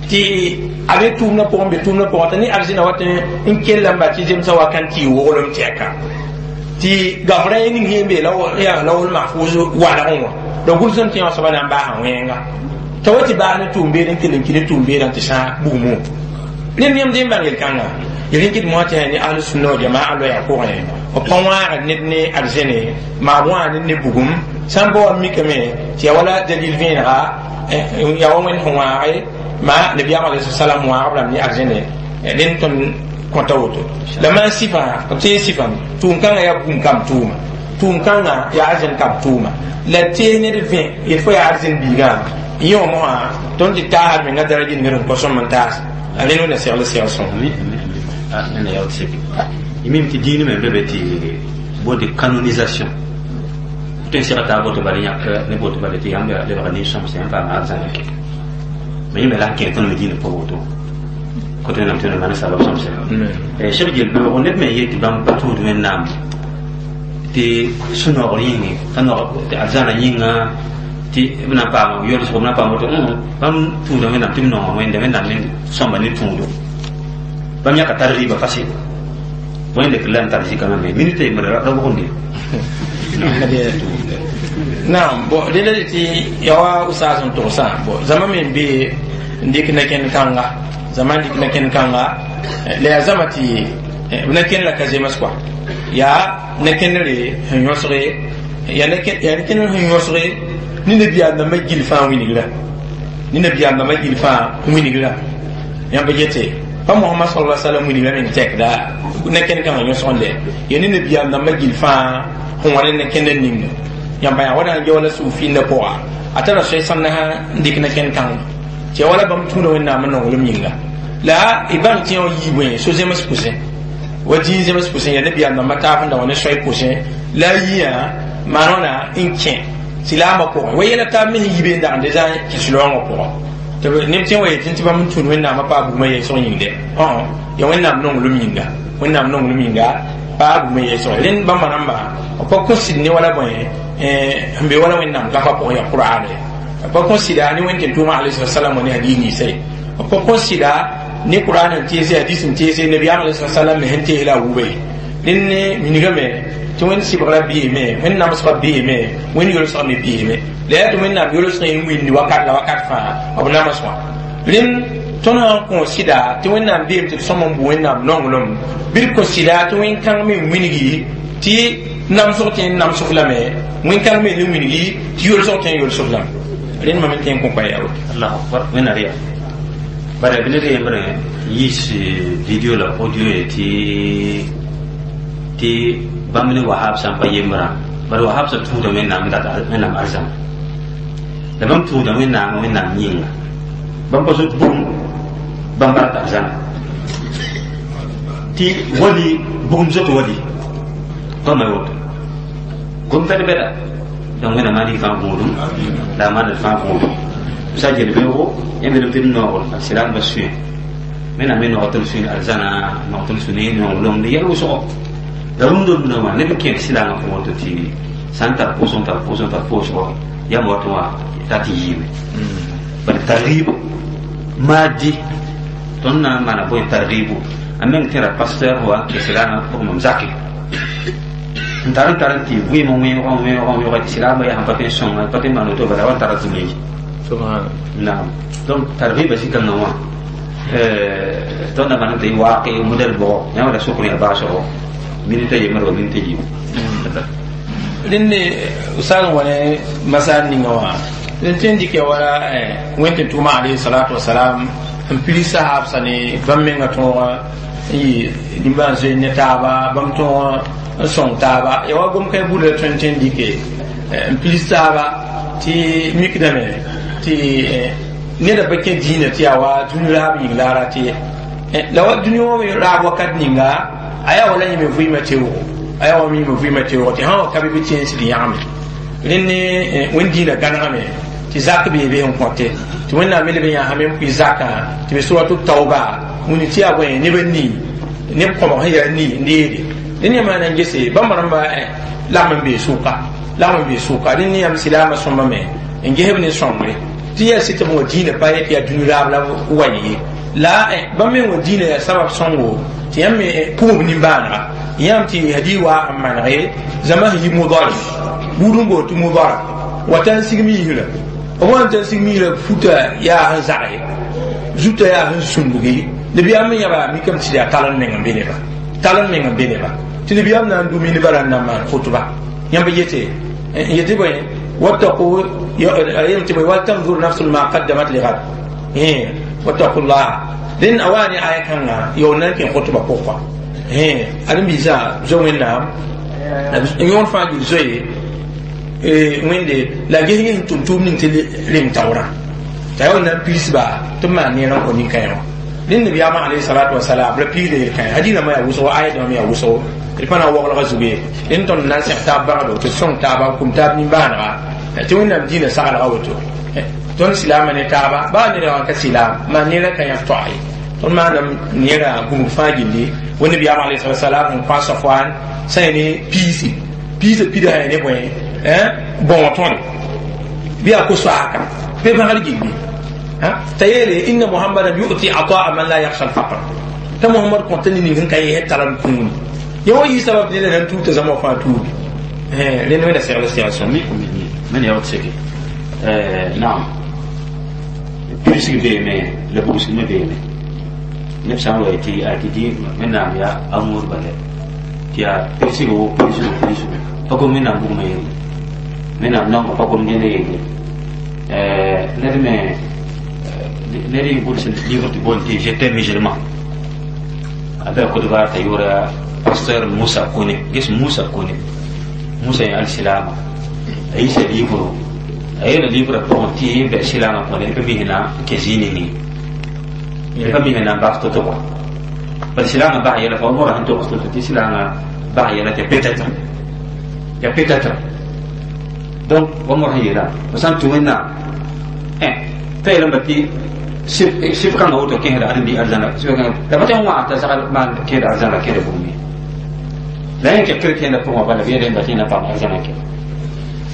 tɩ a be tʋʋmdã pʋgẽ be tʋʋmdã pʋgẽ t'a ne arzẽna wat n kell n ba tɩ zemsã wa kan tɩ y woglem tɛka tɩ gafrã ye ning sẽn be yaa lawl mahfuz walgẽ wã la gʋlsem tɩ yã soaba na n baasa wẽnga t'a wa tɩ baag ne tʋʋm-beed n kell n kɩ ne tʋʋm-beedã tɩ sã bugmo rẽnd yãmb dẽn bãng yel-kãnga yel-kɩt moã tɩ ne ahl sunna wa jamaa loɛɛg pʋgẽ b pa wãagd ned ne arzɛne maa b wãag ned ne bugum sã n pa wa mikame tɩ ya wala dalil vẽenega ya wa wẽnd sẽn wãage ma nabiyaam alayhi salam wãagb rãmb ne arzɛne rẽnd tõnd kõta woto la maan sɩfã b tee sɩfame tʋʋm-kãngã yaa bugum kam tʋʋma tʋʋm-kãngã yaa arzɛn kam tʋʋma la tee ned vẽ yel fo yaa arzɛn biigã yẽ wã mosã tõnd tɩ taasd menga daraja ningr n kõ sõm n taas a rẽnd wẽnna segl segl sõm imim tɩ diin me be be tɩ boonde canonisation tõe n sega taa boto bala yãk ne boto bala tɩ yãmb lebga nin-sõmsã yãmb paama arzãna ke ma yẽ me la n kẽ tõnd me diinã pʋgẽ woto kote wẽnnaam tɩ wẽnnaam sabab sõmse seg yel-beoogo ned me yet tɩ bãmb pa tũud wẽnnaam tɩ sũ-noogr yĩnge t'a noog tɩ arzãna yĩnga tɩ b na n paama yolsgo b na n paam woto bãmb tũuda wẽnnaam tɩ b nonga wẽnde wẽnnaam me sõmba ne tũudo bãmb yãka tar rɩɩba fasɩ wẽnd dɩk la n tar zikãngã me minita yembr ra wʋgende naam bon rẽla tɩ ya wa usas n togsã bon zãma me n be n dɩk na-kẽnd kãnga zãma n dɩk na-kẽnd kãnga la yaa zãma tɩ b na-kẽnd la ka zems kɔa yaa na-kẽndre sẽn yõsge yaa na-kẽndr sẽn yõsge ne nabiyaam dãmbã gil fãa wilgra ne nabiyaam dãmbã gil fãa wilgra yãmb yete pa Muhammad sallallahu alaihi wasallam wilgra meng tɛkda na-kẽnd kãngã yõsgende ya ne nabiyaam dãmbã gil fãa sẽn wa ne na-kẽndr ninga yãmba yaa wala n wala suufinda pʋga a tara soay sãnda n dɩk na-kẽnd kãngã tɩ ya wala bãmb tũuda wẽnnaam n nonglem yĩnga la y bãng tɩ yã yiibẽ so-zems pʋsẽ wa dĩin zems pʋsẽ ya nabiyaam dãmbã taab n da wa ne soay pʋsẽ la a yiyã maan wãna n kẽ tɩ laambã pʋgẽ wa yɛla taab me sẽn yi be n dag n deza kẽ sũ-loongã pʋgã tɩ neb tẽ wa yetɩ tɩ bãmb n tũud wẽnnaamã paa bugmã yɛɛsg yĩngde ya wẽnnaam nonglem yĩnga wẽnnaam nonglem yĩnga paa bugmã yɛɛsg rẽnd bãmba rãmba b pa kõ sɩd ne wala bõe sẽn be wala wẽnnaam gafã pʋgẽ yaa qur'ane b pa kõ sɩda ne wẽnd tɩ tʋʋmã alayhi salam wa ne hadis ninsã ye b pa kõ sɩda ne qur'an n teese hadis n teese nabiyaam alayhi salam me sẽn tees la a wuba ye rẽnd ne minigame tɩ wẽnd sɩbgrã beeme wẽnd namsgã beeme wẽnd yolsgã me beeme la yaa tɩ wẽnnaam yolsgã n wĩndi wakat la wakat fãa b nams wã rẽnd tõnd sã n kõ sɩda tɩ wẽnnaam beem tɩ d sõm n bʋ wẽnnaam nonglem bɩ d kõ sɩda tɩ wẽn-kãng me n wilgi tɩ namsg tɩ n namsg lame wẽn-kãng me ne wilgi tɩ yolsg tɩ n yolsg lame rẽnd mam n tẽ n kõ koɛɛ yaa woto allahu akbar wẽnna rɩya bara b ned yembrẽ yiis video la audio ye tɩ bãmb ne wahab sã n pa yembrã bala wahab sã tũuda wẽnnaam dat wẽnnaam arzãma la bãmb tũuda wẽnnaam wẽnnaam yĩnga bãmb pa zot bugum bãmb rat arzãna tɩ wali bugum zot wali bãmba woto gom bɛd-bɛda donc wẽnnaam maa rig fãa gũudum la a maand fãa gũudum sa gel beoogo yãmb yeelame tɩ d noogr a sɩlaambã sũyẽ wẽnnaam me noog tɩ b sũy arzãna noog tɩ b sũ ne nonglem yɛl wʋsgo la rũndã rũndã wã neb n kẽed sɩlaangã pʋgẽ woto tɩ sã n tar pʋʋsg tar pʋʋsg tar pʋʋsgɔ yãmb watẽ wã t'a tɩ yiime bala targib maadi tõnd na n maana bõe targibu a meng tẽra pasteur wa n kẽ sɩlaangã pʋgẽ mam zake n tar n tar n tɩ vɩɩm n wẽoog n wẽoog n wẽoog tɩ sɩlaambã yaa sẽn pa tõe n sõnga pa tõe n maan woto bala wa n tara zũma ye naam donc targiba zĩ-kãngã wã tõnd na maan tɩ waake modɛl bʋgɔ yãmb la sokr yaa baasgo minita yembr wa minita yiib rẽnd usal wa ne masal ninga wã rẽnd tõe n dɩkɛ wala wẽnd tɩ tʋʋma alayhi salatu wasalam n pili sahabsã ne bãmb menga tõogã n yɩ nimbãan zoe ne taaba bãmb tõogã n sõng taaba ya wa gom-kãe buda la tõe n tõe n dɩke n pilis taaba tɩ mikdame tɩ neda pa kẽ diinã tɩ yaa wa dũni raab yĩng la a rat ye la wa dũni wã raab wakat ninga a yaa wala yẽme vɩɩmã teoogo a yaa wa yẽme vɩɩmã teoogo tɩ sã wa ka be bɩ tẽensd yãgame rẽnd ne wẽnd diinã gãnegame tɩ zak bee be n kõte tɩ wẽnnaam me leb n yaa me n pʋɩ zakã tɩ be suratu tauba wĩni tɩ yaa bõe neb n nii neb kõbg sẽn yaa nii n deede rẽnd yã maana n gese bãmb rãmba lagm n bee sʋka lagm n bee sʋka rẽnd ne yãmb silaamã sõmba me n gesb ne sõngre tɩ yaa sɩ tɩ b wa diinã pa yetɩ yaa dũni raab la wa ye la bãmb me wa diinã yaa sabab sõngo tɩ yãmb me pʋgb nimbãanega yãmb tɩ hadi wa n manege zãma sẽn yi mudar buud n boond tɩ mudara wa t'a n sigm yiisrã B wan tɩ sig miirã futa yaa sẽn zagse zuta yaa sẽn sũndgi nabiyaam me yãba mikame tɩ yaa talend meng n be neba talend meng n be neba tɩ nabiyaam na n dũmi nebã ra n na n maan khutba yãmb yete n yetɩ bõe wattaqu yem tɩ bõe waltanzur nafsun ma qaddamat ligad wattaqu llah dẽn a waa ne aya kãngã yaool na n kẽ khutba pʋgã ãdem-biisã zo wẽnnaam yõod fãa gil zoe wẽnde la ges ges n tʋm tʋʋm ning tɩ reng taoorã t'a yaool na n piisba tɩ b maan neer n kõ nin-kãe wã rẽnd nabiyaamã alayhi salatu wasalam la piisda yel-kãe hadĩnã yaa wʋsgo aya dãmb yaa wʋsgo d pa na n waglgã zugu ye rẽnd tõnd na n sẽg taab bagdo tɩ d sõng taaba n kum taab nimbãanega tɩ wẽnnaam dĩinã saglga woto tõnd silaamã ne taaba baa ned wã ka silaam maan neerã ka yãb toa ye tõnd maanam neerã gũmg fãa gilli wa nabiyaam alayhi salatu wasalam n kõ a safwan sã ya ne piisi piisã pida sã ya ne bõe bõo tõre bɩ yaa ko-soaaka bɩ bãgr gilli t'a yeele inna muhammadan yu'ti ataa man la yakhsha al-faqr t'a muhammad kõta ne ning n ka yɛs tara n kũuni ya wa yɩ sabab neda nan tuugta zãma wã fãa tuugi rẽnd wẽnna segl segl sõm من يود سكي نعم pirsg beeme la bugsg me beeme neb sã n wa tɩ a tɩ dĩ wẽnnaam yaa amour bala tɩ yaa pirsgo pirsgo pirsgo pa gom wẽnnaam bugmã yelle wẽnnaam naongã pa gom ned yelle ned me ned y gʋls livre tɩ boond tɩ j'étais musulman a bɩ a Côte t'a yʋʋra pasteur Moussa Kone ges Moussa Kone Moussa yẽ alsilaama a yisa livre a yeela livrã pʋgẽ tɩ bɛ silaamã pʋgẽ ned pa mis na n kẽ zĩig ninge ned pa mis na n bas to-to kɔa bala silaamã bas yɛla fa mora sẽn togs to-to tɩ silaamã bas yɛla tɩ peut-être ya peut-être donc wa mor sẽn yeela fo sã n tũ wẽnnaam t'a yeelame tɩ sɩf kãngã woto kẽsda ãdem-bi arzãna la pa tɩ n wãag t'a zagl maan kẽeda arzãna kẽeda bugum ye la yẽ kɛ chrétien pʋgẽ wã bala b yeelame tɩ na paam arzãna kɛ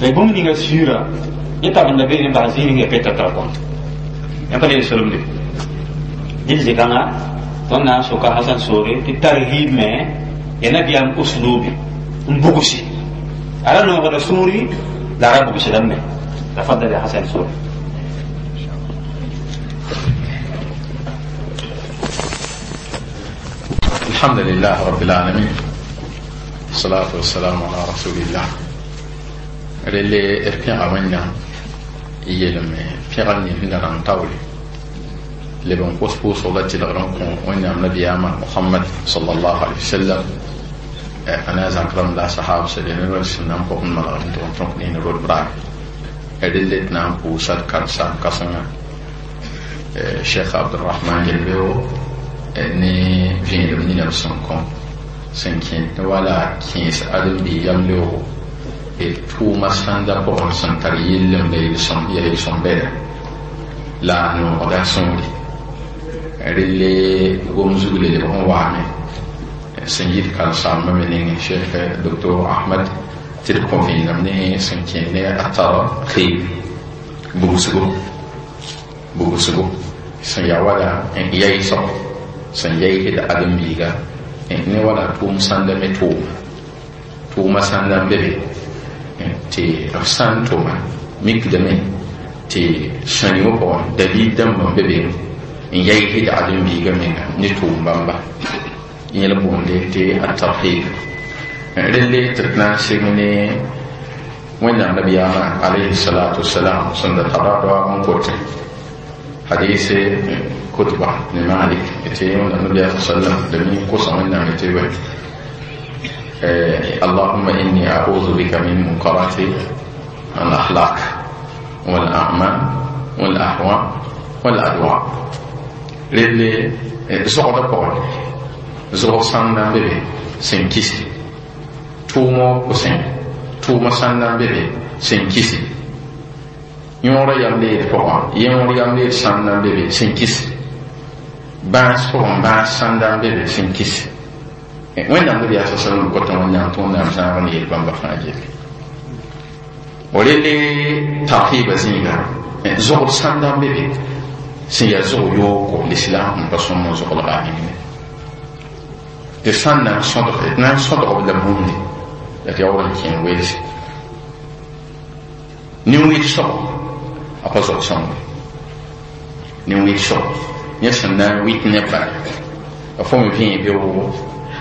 la bũmb ninga sũurã yẽ tab n la beene n bas zĩig ninga peut-être kɔn yã pa le solemde dɩl zĩ-kãngã tõnd na n soka Hasan soore tɩ tarhib me ya nabiyaam uslubi n bugsi a ra noogda sũuri la a ra bugsdame تفضل يا حسن سوري. الحمد لله رب العالمين الصلاة والسلام على رسول الله relle d pẽga wẽnnaam n yeelame pẽga nins sẽn da rãng taoore leb n kos pʋʋsg la tɩlgr n kõ wẽnnaam nabiyaamã Mohamad sallallahu alaihi wasallam a na a zãk rãmb la a sahab sẽn ne rõe sẽn na n pʋg n manegd n tʋg n tõk ne rod braag relle d na n pʋʋsa d karen-saam kãsenga Cheikh Abdurrahman Gelbeo ne vẽenem nina b sẽn kõ sẽn kẽed ne wala kẽes ãdem-biig yam leoogo tʋʋma sãnda pʋgẽ sẽn tar yellem la yel-sõm bɛda la a noogda sõore relle gom zug le lebg n waame sẽn yit karen-saambã me nengẽ Cheikh Docteur Ahmad tɩ d kõ vẽenem ne sẽn kẽed ne a tarhib bugsgo bugsgo sẽn yaa wala n yaɩsg sẽn yaɩsd ãdem-biiga ne wala tʋʋm sãnda me tʋʋma tʋʋma sãnda n be be tɩ b sã n tʋma mikdame tɩ sãnɩ wã pʋgẽ dalil dãmb n be be n yaɩsd ãdem-biiga menga ne tʋʋm bãmba yẽl boonde tɩ a tarhib relle tɩ d na n seg ne wẽnnaam nabiyaamã alayhi salatu wasalam sẽn da tara raoag n kote hadise kutba ne Malik tɩ wẽnnaam nabiyaa sallam da mi kosa wẽnnaam tɩ bõe اللهم إني أعوذ بك من منكرات الأخلاق والأعمال والأهواء والأدواء relle zogda pʋgẽ zog sãnda n be be sẽn kisi tʋʋmõ pʋsẽ tʋʋmã sãnda n be be sẽn kisi yõorã yam leed pʋgã yõor yam leed sãnda n be be sẽn kisi bãas pʋgẽ bãas sãnda n be be sẽn kisi wẽnnaam nabiyaa sa sallam kota wẽnnaam tɩ wẽnnaam zãag n yeel bãmba fãa gelle relle tarhiba zĩiga zogd sãnda n be be sẽn yaa zog yoogo l'islam n pa sõm n zoglga a nengẽ tɩ sãn na n sõdg d na n sõdg b la bũmb la tɩ yaool n kẽ n weelse nin-wɩd soabo A pa zog sõngo nin-wɩɩsg yẽ sẽn na n wɩt neb bala a fo me vẽe beoogo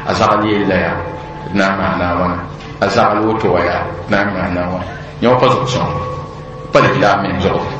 a zagl yella yaa d na n maana a wãna, a zagl woto wa yaa d na n maana a wãna. Yẽ wa pa zog sõngo, pa la a meng zogd.